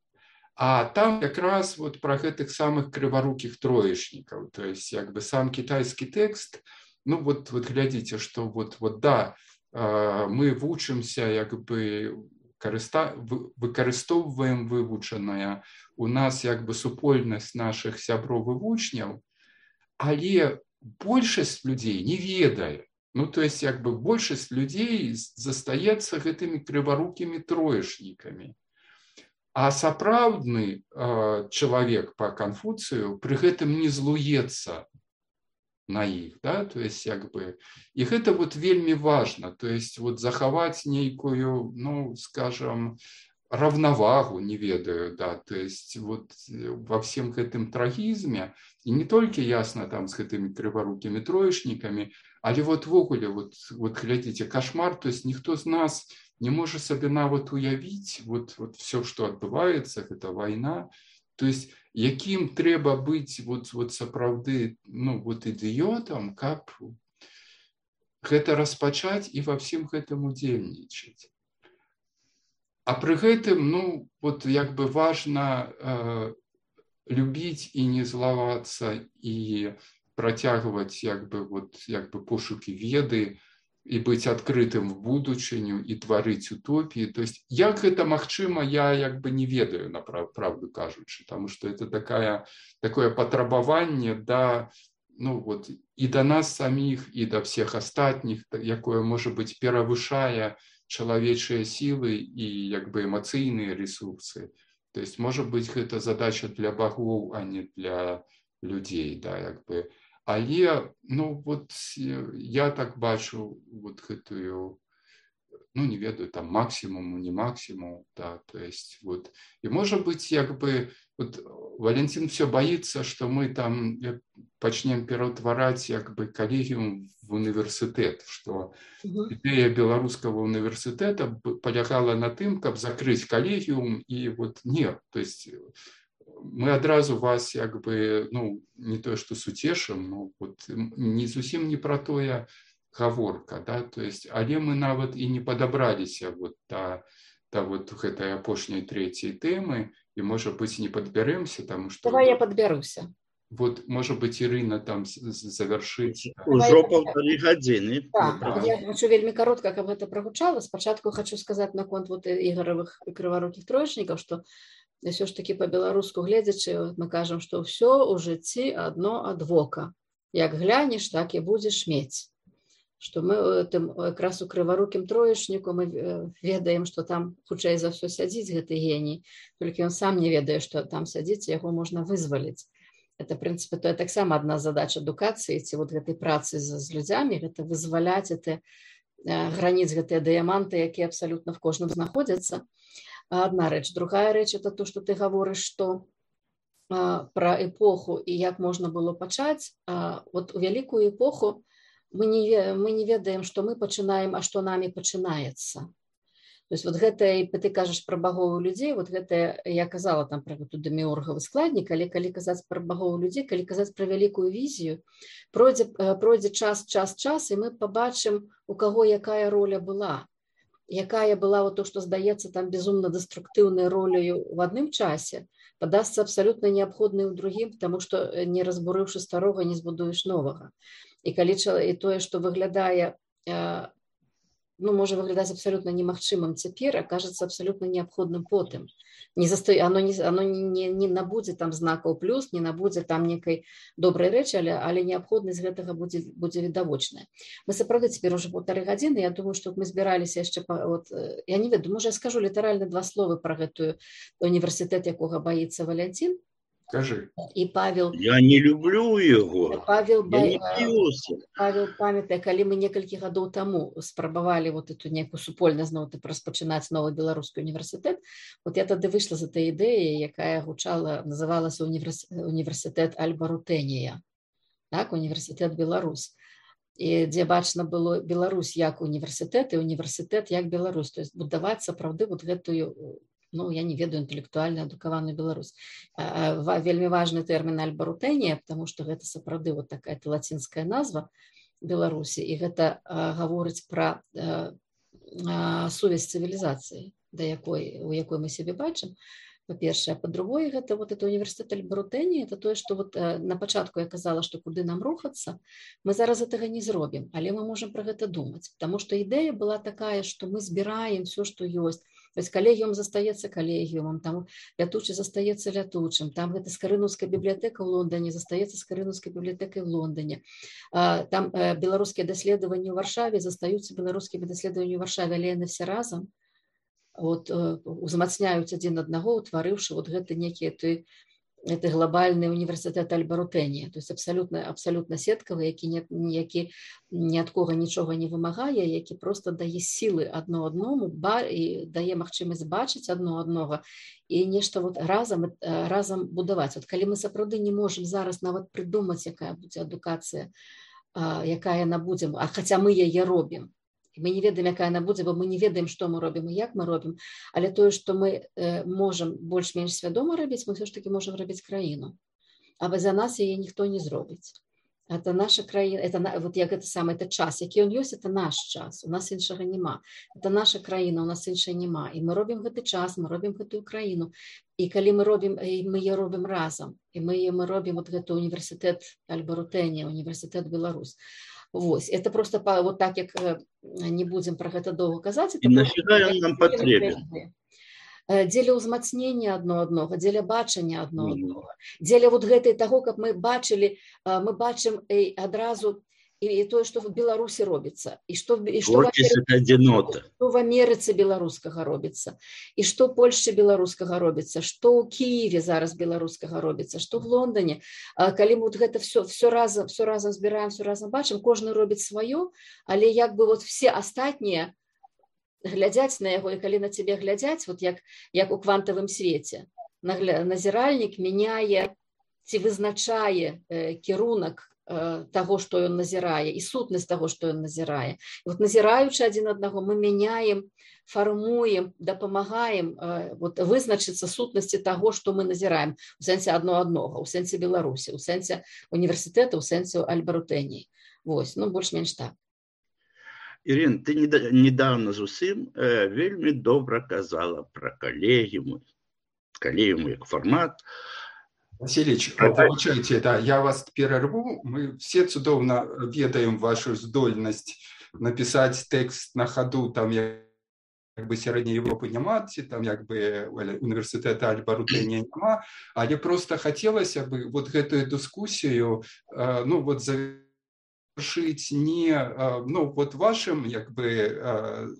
А там якраз вот про гэтых самых крыварукіх троечнікаў, то есть як бы сам китайский текст, ну вот, вот глядзіце, что вот, вот да, мы вучымся, як бы карыста... выкарыстоўваем вывучанае, у нас як бы супольнасць наших сяброў і вучняў, але большасць людзей не ведае. Ну, то есть як бы большасць людзей застаецца гэтымі крыварукімі троечнікамі. А сапраўдны э, чалавек по Канфуцыю пры гэтым не злуецца на іх, да? То есть як бы, і гэта вот вельмі важна, то есть вот захаваць нейкую, ну, скажем, равновагу, не ведаю, да, то есть вот во всем гэтым трагізме, і не толькі ясна там з гэтымі крыварукімі троечнікамі, але вот ввогуле, вот, вот глядзіце, кошмар, то есть ніхто з нас не можа сабе нават уявіць вот, вот все, што адбываецца, гэта вайна, то есть якім трэба быць вот, вот сапраўды, ну, вот ідыётам, каб гэта распачаць і ва всім гэтым удзельнічаць. А пры гэтым, ну, вот як бы важна э, любіць і не злавацца і працягваць як бы, вот, як бы пошукі веды, і быць адкрытым в будучыню і тварыць утопіі. То есть як гэта магчыма, я як бы не ведаю, на правду кажучы, потому что это такая, такое патрабаванне да, ну, вот, і да нас саміх, і да всех астатніх, якое можа быць перавышае чалавечыя сілы і як бы эмацыйныя ресурсы. То есть можа быць гэта задача для багоў, а не для людзей, да, як бы. Але, ну, вот я так бачу вот гэтую, ну, не ведаю, там максимуму, не максимум, да, то есть вот, и может быть, як бы, вот Валентин все боится, что мы там пачнем пераўтвараць, як бы, калегіум в універсітэт, что ідэя беларускага універсітэта полягала на тым, каб закрыць калегіум, и вот нет, то есть мы адразу вас, як бы, ну, не тое, што суцешым, ну, вот, не зусім не пра тое гаворка, да, то есть, але мы нават і не падабраліся вот да, да вот гэтай апошняй трэцяй тэмы, і, можа быць, не падбяремся, таму што... Давай я падбяруся. Вот, можа быць, Ірына там завяршыць. Ужо паўтары гадзіны. Так, я хочу вельмі каротка, каб гэта прагучала. Спачатку хочу сказаць наконт вот ігоравых крыварукіх троечнікаў, што все ж таки по-беларуску гледзячы, мы кажам, што ўсё ў жыцці адно ад вока. Як глянеш, так і будзеш мець. Што мы тым, якраз у крыварукім троечніку мы ведаем, што там хутчэй за ўсё сядзіць гэты геній, толькі ён сам не ведае, што там сядзіць, яго можна вызваліць. Это, в прынцыпе, то таксама адна задач адукацыі ці вот гэтай працы з, з людзямі, гэта вызваляць это, граніць гэтыя дыяманты, якія абсалютна в кожным знаходзяцца. Одна рэч. Другая рэч, это то, что ты говоришь, что а, про эпоху и як можно было пачаць. А, вот у вялікую эпоху мы не, мы не ведаем, что мы пачынаем, а что нами пачынаецца. То есть вот гэта, ты кажаш про багоў людзей, вот гэта, я казала там про гэту деміургавы складнік, але калі казаць про багоў людзей, калі казаць про вялікую візію, пройдзе, пройдзе час, час, час, і мы побачым, у каго якая роля была. Якая была вот то, что здаецца там безумно деструктыўнай роляю в адным часе, падасца абсалютна неабходнай у другім, потому что не разбурыўшы старога, не збудуеш новага. І калі і тое, што выглядае, ну, можа выглядаць абсалютна немагчымым цяпер, акажацца абсалютна неабходным потым. Не застой, оно не, оно не, не набудзе там знакаў плюс, не набудзе там некай добрай рэчы, але, але неабходнасць гэтага будзе, будзе відавочная. Мы сапраўды цяпер уже полторы гадзіны, я думаю, што мы збіраліся яшчэ, вот, я не ведаю, можа я скажу літаральна два словы про гэтую універсітэт, якога баіцца Валентин. Скажи. І Павел... Я не люблю его. Павел, я не п'юся. Павел памятае, калі мы некалькі гадоў таму спрабавалі вот эту некую супольнасць зноў распачынаць новы беларускі універсітэт, вот я тады выйшла з этой ідэі, якая гучала, называлася універс... універсітэт Альба Рутэнія. так, універсітэт Беларусь. І дзе бачна было Беларусь як універсітэт і універсітэт як Беларусь. То есть будаваць сапраўды вот гэтую, ну, я не ведаю, інтэлектуальна адукаваную Беларусь. Вельмі важны тэрмін альба-рутэнія, потому што гэта сапраўды вот такая лацінская назва Беларусі, і гэта гаворыць пра сувязь цывілізацыі, да якой, у якой мы сябе бачым. Па-першае, па-другое, гэта вот это універсітэт альба-рутэнія, это тое, што вот на пачатку я казала, што куды нам рухацца, мы зараз гэтага не зробім, але мы можам пра гэта думаць, потому што ідэя была такая, што мы збіраем все, што ёсць. То есть калегіум застаецца калегіумам, там лятучы застаецца лятучым, там гэта скарынаўская бібліятэка ў Лондоне застаецца скарынаўскай бібліятэкай ў Лондоне, там беларускія даследаванні ў Варшаве застаюцца беларускімі даследаваннямі ў Варшаве, але яны все разам вот, узмацняюць адзін аднаго, утварыўшы вот гэты некі той, это глобальны універсітэт альба-рутэнія, то есть абсалютна, абсалютна сеткавы, які, не, які ні ад кога нічога не вымагае, які просто дае сілы адно адному і дае магчымасць бачыць адно аднога і нешта вот разам, разам будаваць. Вот калі мы сапраўды не можам зараз нават прыдумаць, якая будзе адукацыя, якая яна будзе, а хаця мы яе робім, мы не ведаем, якая яна будзе, бо мы не ведаем, што мы робім і як мы робім, але тое, што мы э, можам больш-менш свядома рабіць, мы все ж таки можам рабіць краіну. А за нас яе ніхто не зробіць. Это наша краіна, это, вот як гэта самае, это час, які ён ёсць, это наш час, у нас іншага няма. Это наша краіна, у нас іншай няма. І мы робім гэты час, мы робім гэтую краіну. І калі мы робім, мы яе робім разам, і мы, мы робім вот гэты універсітэт альба-рутэнія, універсітэт Беларусь. Вось, это просто вот так, як не будзем пра гэта доўга казаць. І нафіга ён нам патрэбен? Дзеля ўзмацнення адно аднога, дзеля бачання адно аднога, дзеля вот гэтай таго, каб мы бачылі, мы бачым адразу і тое, што в Беларусі робіцца, і што, і што, в Амерыцы, што в Амерыцы беларускага робіцца, і што ў Польшчы беларускага робіцца, што ў Кіеве зараз беларускага робіцца, што в Лондоне. Калі мы вот гэта все, все разам, все разам збіраем, все разам бачым, кожны робіць сваё, але як бы вот все астатнія глядзяць на яго, і калі на цябе глядзяць, вот як, як у квантавым свеце, назіральнік мяняе ці вызначае э, кірунак того, што ён назірае, і сутнасць того, што ён назірае. І вот назіраючы адзін аднаго, мы мяняем, фармуем, дапамагаем вот, вызначыцца сутнасці того, што мы назіраем, у сэнсе адно аднога, у сэнсе Беларусі, у сэнсе універсітэта, у сэнсе альба-рутэній. Вось, ну, больш-менш так. Ірин, ты недавно зусім э, вельмі добра казала пра калегіумы, калегіумы як фармат. Васильевич, получайте, да, я вас перерву. Мы все цудоўна ведаем вашу здольнасць написать текст на ходу, там як бы сярэдняй Европы няма, там як бы універсітэта альба-рутэнія няма, але просто хотелось бы вот гэтую дискуссию, ну вот завершить не, ну вот вашим як бы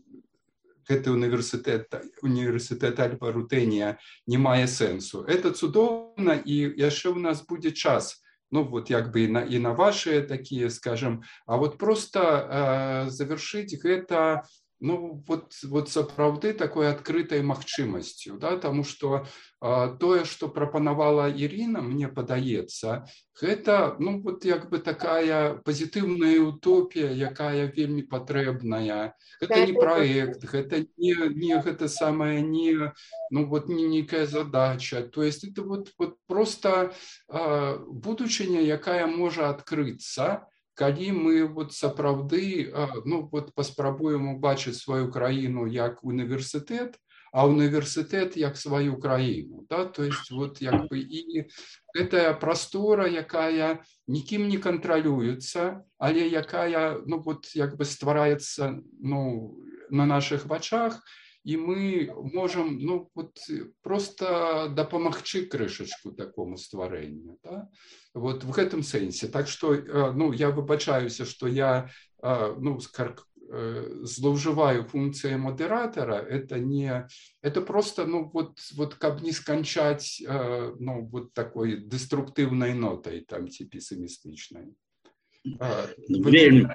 гэты універсітэт, універсітэт альба-рутэнія не мае сэнсу. Это цудоўна, і яшчэ у нас будзе час, ну вот як бы і на, і на ваши такие, скажем, а вот просто э, завершить гэта, ну вот, вот сапраўды такой адкрытай магчымасцю, да, таму што э, тое, што прапанавала Ірина, мне падаецца, гэта, ну вот як бы такая пазітыўная утопія, якая вельмі патрэбная. Гэта не праект, гэта не, не гэта самая не, ну вот не нейкая задача. То есть это вот, вот просто э, будучыня, якая можа адкрыцца, калі мы вот сапраўды, ну вот паспрабуем убачыць сваю краіну як універсітэт, а універсітэт як сваю краіну, да, то есть вот як бы і гэтая прастора, якая нікім не кантралюецца, але якая, ну вот як бы ствараецца, ну на наших вачах, і мы можам, ну вот просто дапамагчы крышачку такому стварэнню, да? Вот в гэтым сэнсе. Так что, ну я выбачаюся, что я, ну злоўжываю функцией модератора, это не, это просто, ну вот, вот каб не сканчаць, ну вот такой деструктивной нотой, там, ці пессимистичной. Вельмі,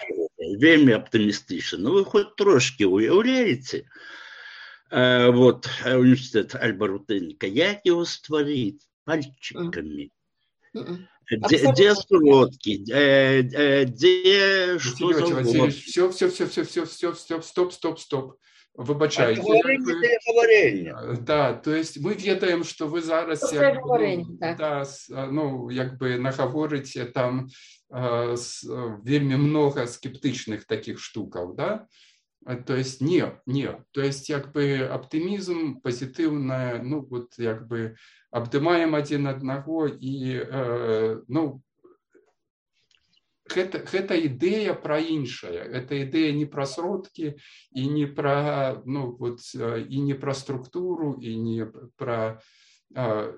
вельмі оптимистично. Ну вы хоть трошки уявляете, вот універсітэт альба-рутэнія, як его стварыць пальчиками. Где, где сродки, где, где что Василий за Васильевич, все, все, все, все, все, все, все, стоп, стоп, стоп. Выбачайте. Говорение Вы... для говорения. Да, то есть мы ведаем, что вы зараз Пустое як, говорення, ну, так. да, ну, якби наговорите там э, с, вельми много скептичных таких штуков, да? То есть не, не, то есть якби оптимизм, позитивное, ну вот якби обдымаем один одного и, э, ну, Гэта, гэта ідэя пра іншае, гэта ідэя не пра сродкі і не пра, ну, вот, і не пра структуру і не пра а,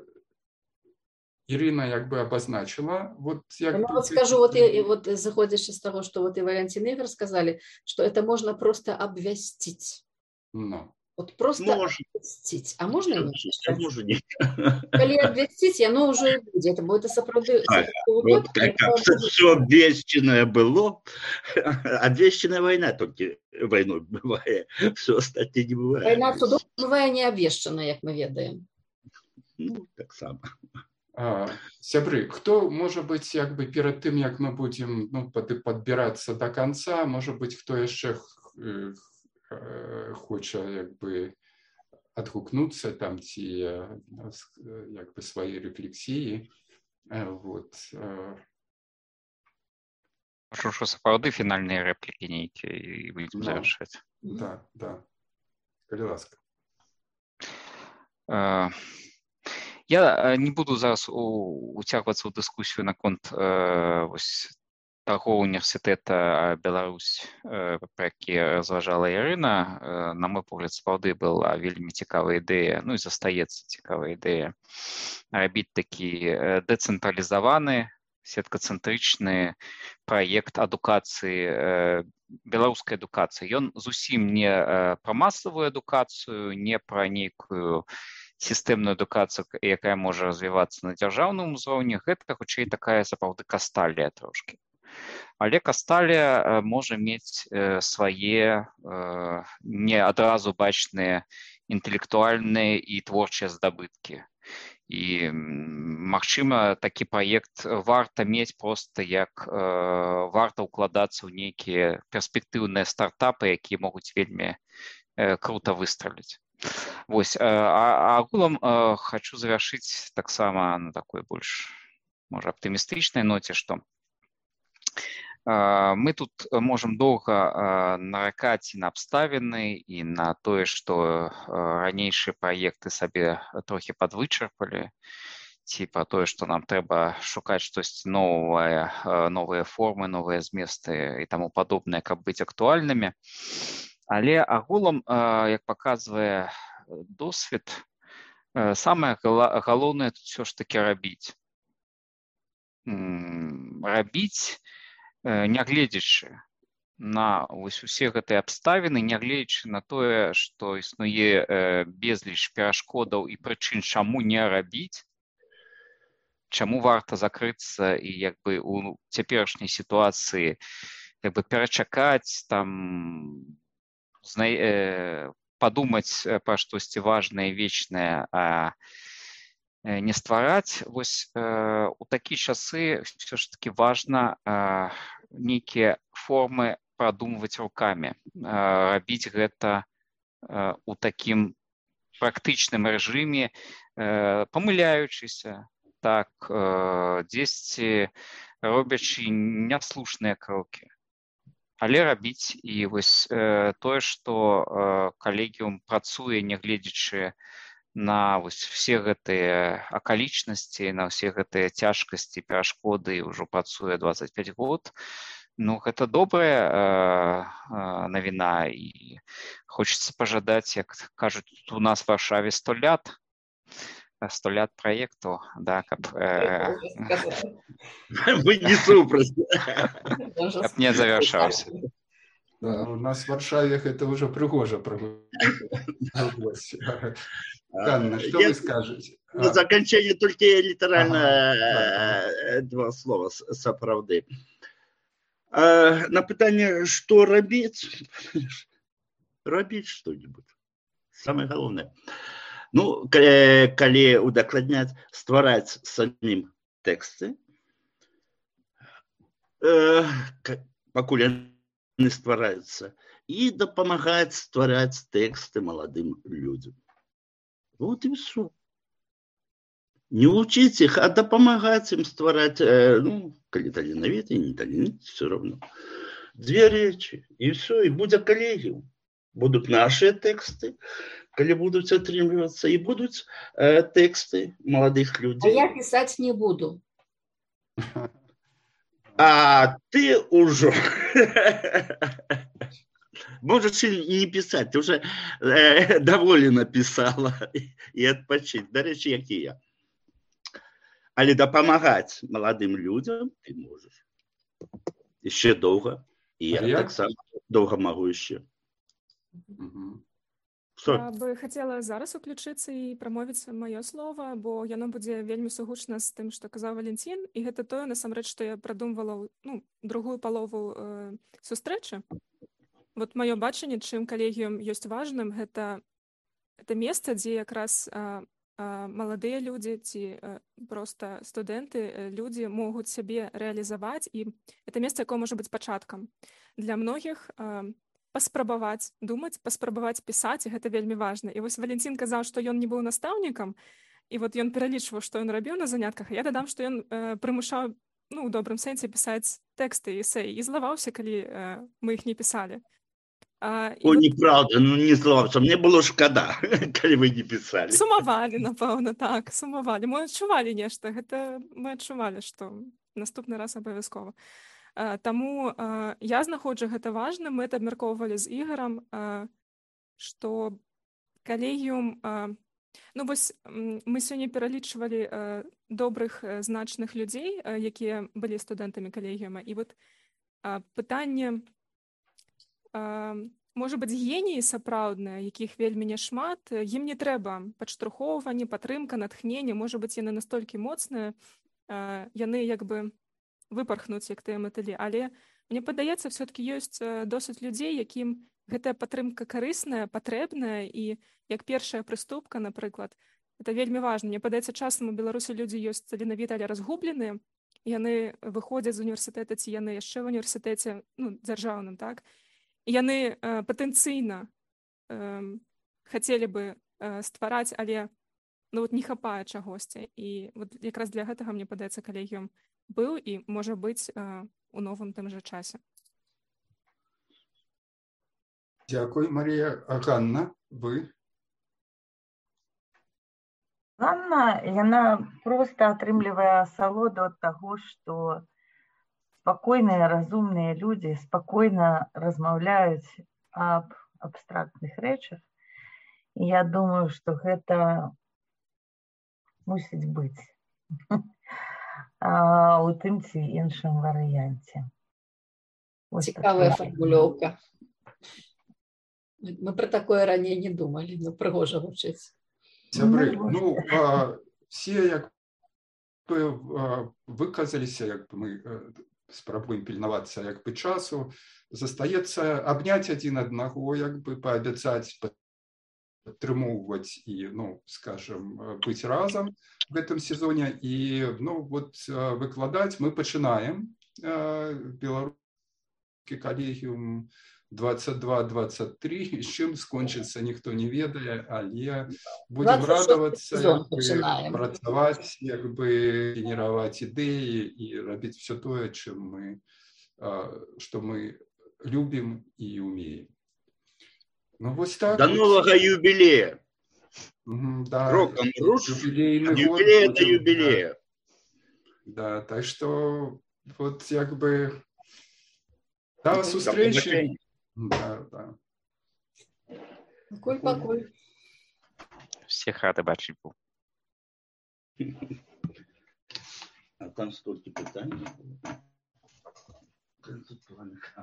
Ирина як бы обозначила. Вот, як ну, бы, вот скажу, вот, и, вот заходишь из того, что вот и Валентин и Игорь сказали, что это можно просто обвестить. No. Вот просто Можно. обвестить. А можно и А можно не. Коли обвестить, оно уже и будет. Это будет сопроводы. А, вот как, как все обвещенное было, обвещенная война только войной бывает, все остальное не бывает. Война судов бывает не обвещенная, как мы ведаем. Ну, так само. А, сябры, хто, может быть, як бы перед тем, як мы будем, ну, под, подбираться до конца, может быть, кто еще хоче, як би, адгукнуться там ці, як би, свої рефлексії. Вот. Прошу, що сапраўды фінальныя рэплікі нейкія і будзем завершаць. Да, да. Калі ласка. Я не буду зараз уцягвацца ў дыскусію наконт вось таго універсітэта Беларусь, пра які разважала Ірына. На мой погляд, сапраўды была вельмі цікавая ідэя, ну і застаецца цікавая ідэя рабіць такі дэцэнтралізаваны, сеткацэнтрычны праект адукацыі, беларускай адукацыі. Ён зусім не пра масавую адукацыю, не пра нейкую сістэмную адукацыю, якая можа развівацца на дзяржаўным узроўні. Гэта хутчэй такая сапраўды касталія трошкі. Але касталія можа мець свае не адразу бачныя інтэлектуальныя і творчыя здабыткі. І, магчыма, такі праект варта мець проста як варта ўкладацца ў нейкія перспектыўныя стартапы, якія могуць вельмі крута выстраліць. Вось, а агулам хочу завяршыць таксама на такой больш, можа, аптымістычнай ноце, што мы тут можам доўга наракаць і на абставіны, і на тое, што ранейшыя праекты сабе трохі падвычарпалі, ці пра тое, што нам трэба шукаць штосьці новае, новыя формы, новыя зместы і таму падобнае, каб быць актуальнымі. Але агулам, як паказвае досвед, самае галоўнае тут ўсё ж такі рабіць. Рабіць, нягледзячы на вось усе гэтыя абставіны, нягледзячы на тое, што існуе безліч перашкодаў і прычын, чаму не рабіць, чаму варта закрыцца і як бы у цяперашняй сітуацыі як бы перачакаць, там падумаць пра штосьці важнае, вечнае, а не ствараць. Вось у такія часы ўсё ж такі важна нейкія формы прадумваць рукамі, рабіць гэта у такім практычным рэжыме, памыляючыся, так, дзесьці робячы няслушныя крокі. Але рабіць. І вось тое, што калегіум працуе, нягледзячы на вось все гэтыя акалічнасці, на ўсе гэтыя цяжкасці, перашкоды, ўжо працуе дваццаць пяць год. Ну, гэта добрая навіна, і хочацца пажадаць, як кажуць, у нас в Варшаве сто лят, сто лят праекту, да, каб Мы не супраць. Каб не завяршаўся. Да, у нас в Варшаве это уже пригожа проводилось. Анна, что вы скажете? На заканчэнне толькі літаральна два слова сапраўды. На пытанне, што рабіць? Рабіць што-нибудь. Самае галоўнае. Ну, калі удакладняць, ствараць самім тэксты, э, пакуль яны ствараюцца, і дапамагаць ствараць тэксты маладым людзям. Вот і ўсё. Не учить их, а дапамагаць им ствараць, э, ну, калі таленавіты, не таленавіты, все равно. Две речи, и все, и будет коллегиум. Будут наши тексты, калі будут атрымлівацца, и будут э, тексты молодых людей. А я писать не буду. А ты уже можешь и не писать, ты уже э, довольно написала и отпочить. До речі, як і я. Але дапамагаць маладым людям ты можешь. Еще долго. И я, я так само долго могу еще. Угу. Я бы хотела зараз уключыцца і прамовіць маё слова, бо яно будзе вельмі сугучна з тым, што казаў Валентин, і гэта тое, насамрэч, што я прадумвала, ну, другую палову э, сустрэчы. Вот маё бачанне, чым калегіум ёсць важным, гэта, гэта месца, дзе якраз э, э, маладыя людзі ці э, проста студэнты, э, людзі могуць сябе рэалізаваць, і гэта месца, якое можа быць пачаткам. Для многіх э, паспрабаваць думаць, паспрабаваць пісаць, і гэта вельмі важна. І вось Валентин казаў, што ён не быў настаўнікам, і вот ён пералічваў, што ён рабіў на занятках, а я дадам, што ён э, прымушаў, ну, у добрым сэнсе пісаць тэксты, эсэй, і злаваўся, калі э, мы іх не пісалі. А, О, вот... неправда, ну не злаваўся, мне было шкада, калі вы не пісалі. Сумавалі, напэўна, так, сумавалі. Мы адчувалі нешта, гэта мы адчувалі, што наступны раз абавязкова. Таму э, я знаходжу гэта важным, мы это абмяркоўвалі з Ігарам, э, што калегіум, э, ну вось мы сёння пералічвалі э, добрых э, значных людзей, э, якія былі студэнтамі калегіума, і вот э, пытанне, э, можа быць, геніі сапраўдныя, якіх вельмі няшмат, ім не трэба падштурхоўванне, падтрымка, натхненне, можа быць, яны настолькі моцныя, э, яны як бы выпархнуць, як тыя матылі. Але мне падаецца, все-таки ёсць досыць людзей, якім гэтая падтрымка карысная, патрэбная, і як першая прыступка, напрыклад, это вельмі важна. Мне падаецца, часам у Беларусі людзі ёсць таленавітыя, але разгубленыя, яны выходзяць з універсітэта, ці яны яшчэ ў універсітэце, ну, дзяржаўным, так? І яны э, патэнцыйна э, хацелі бы э, ствараць, але ну, вот не хапае чагосьці. І вот якраз для гэтага, мне падаецца, калегіум быў і можа быць э, у новым тым жа часе. Дзякуй, Марія. А Ганна, вы? Ганна, яна проста атрымлівае асалоду ад таго, што спакойныя, разумныя людзі спакойна размаўляюць аб абстрактных рэчах. І я думаю, што гэта мусіць быць у тым ці іншым варыянце. Цікавая фармулёўка. Мы про такое раней не думалі, но прыгожа гучыць. Сябры, ну, а, все як бы выказаліся, як бы мы спрабуем пільнавацца як бы часу, застаецца абняць адзін аднаго, як бы паабяцаць падтрымоўваць і, ну, скажем, быць разам в гэтым сезоне. І, ну, вот выкладаць мы пачынаем беларускі калегіум двадцать два двадцать три, з чым скончыцца, ніхто не ведае, але будзем радавацца, працаваць, як бы генераваць ідэі і рабіць все тое, чым мы, што мы любім і умеем. Ну, вось так. До вот. Нового юбилея. Mm, да, Роком руш, юбилейный юбилей год. Это юбилея. Да, так что вот як бы до встречи. Да, да. Покуль-покуль. Всех рады бачить був. А там столько питаний.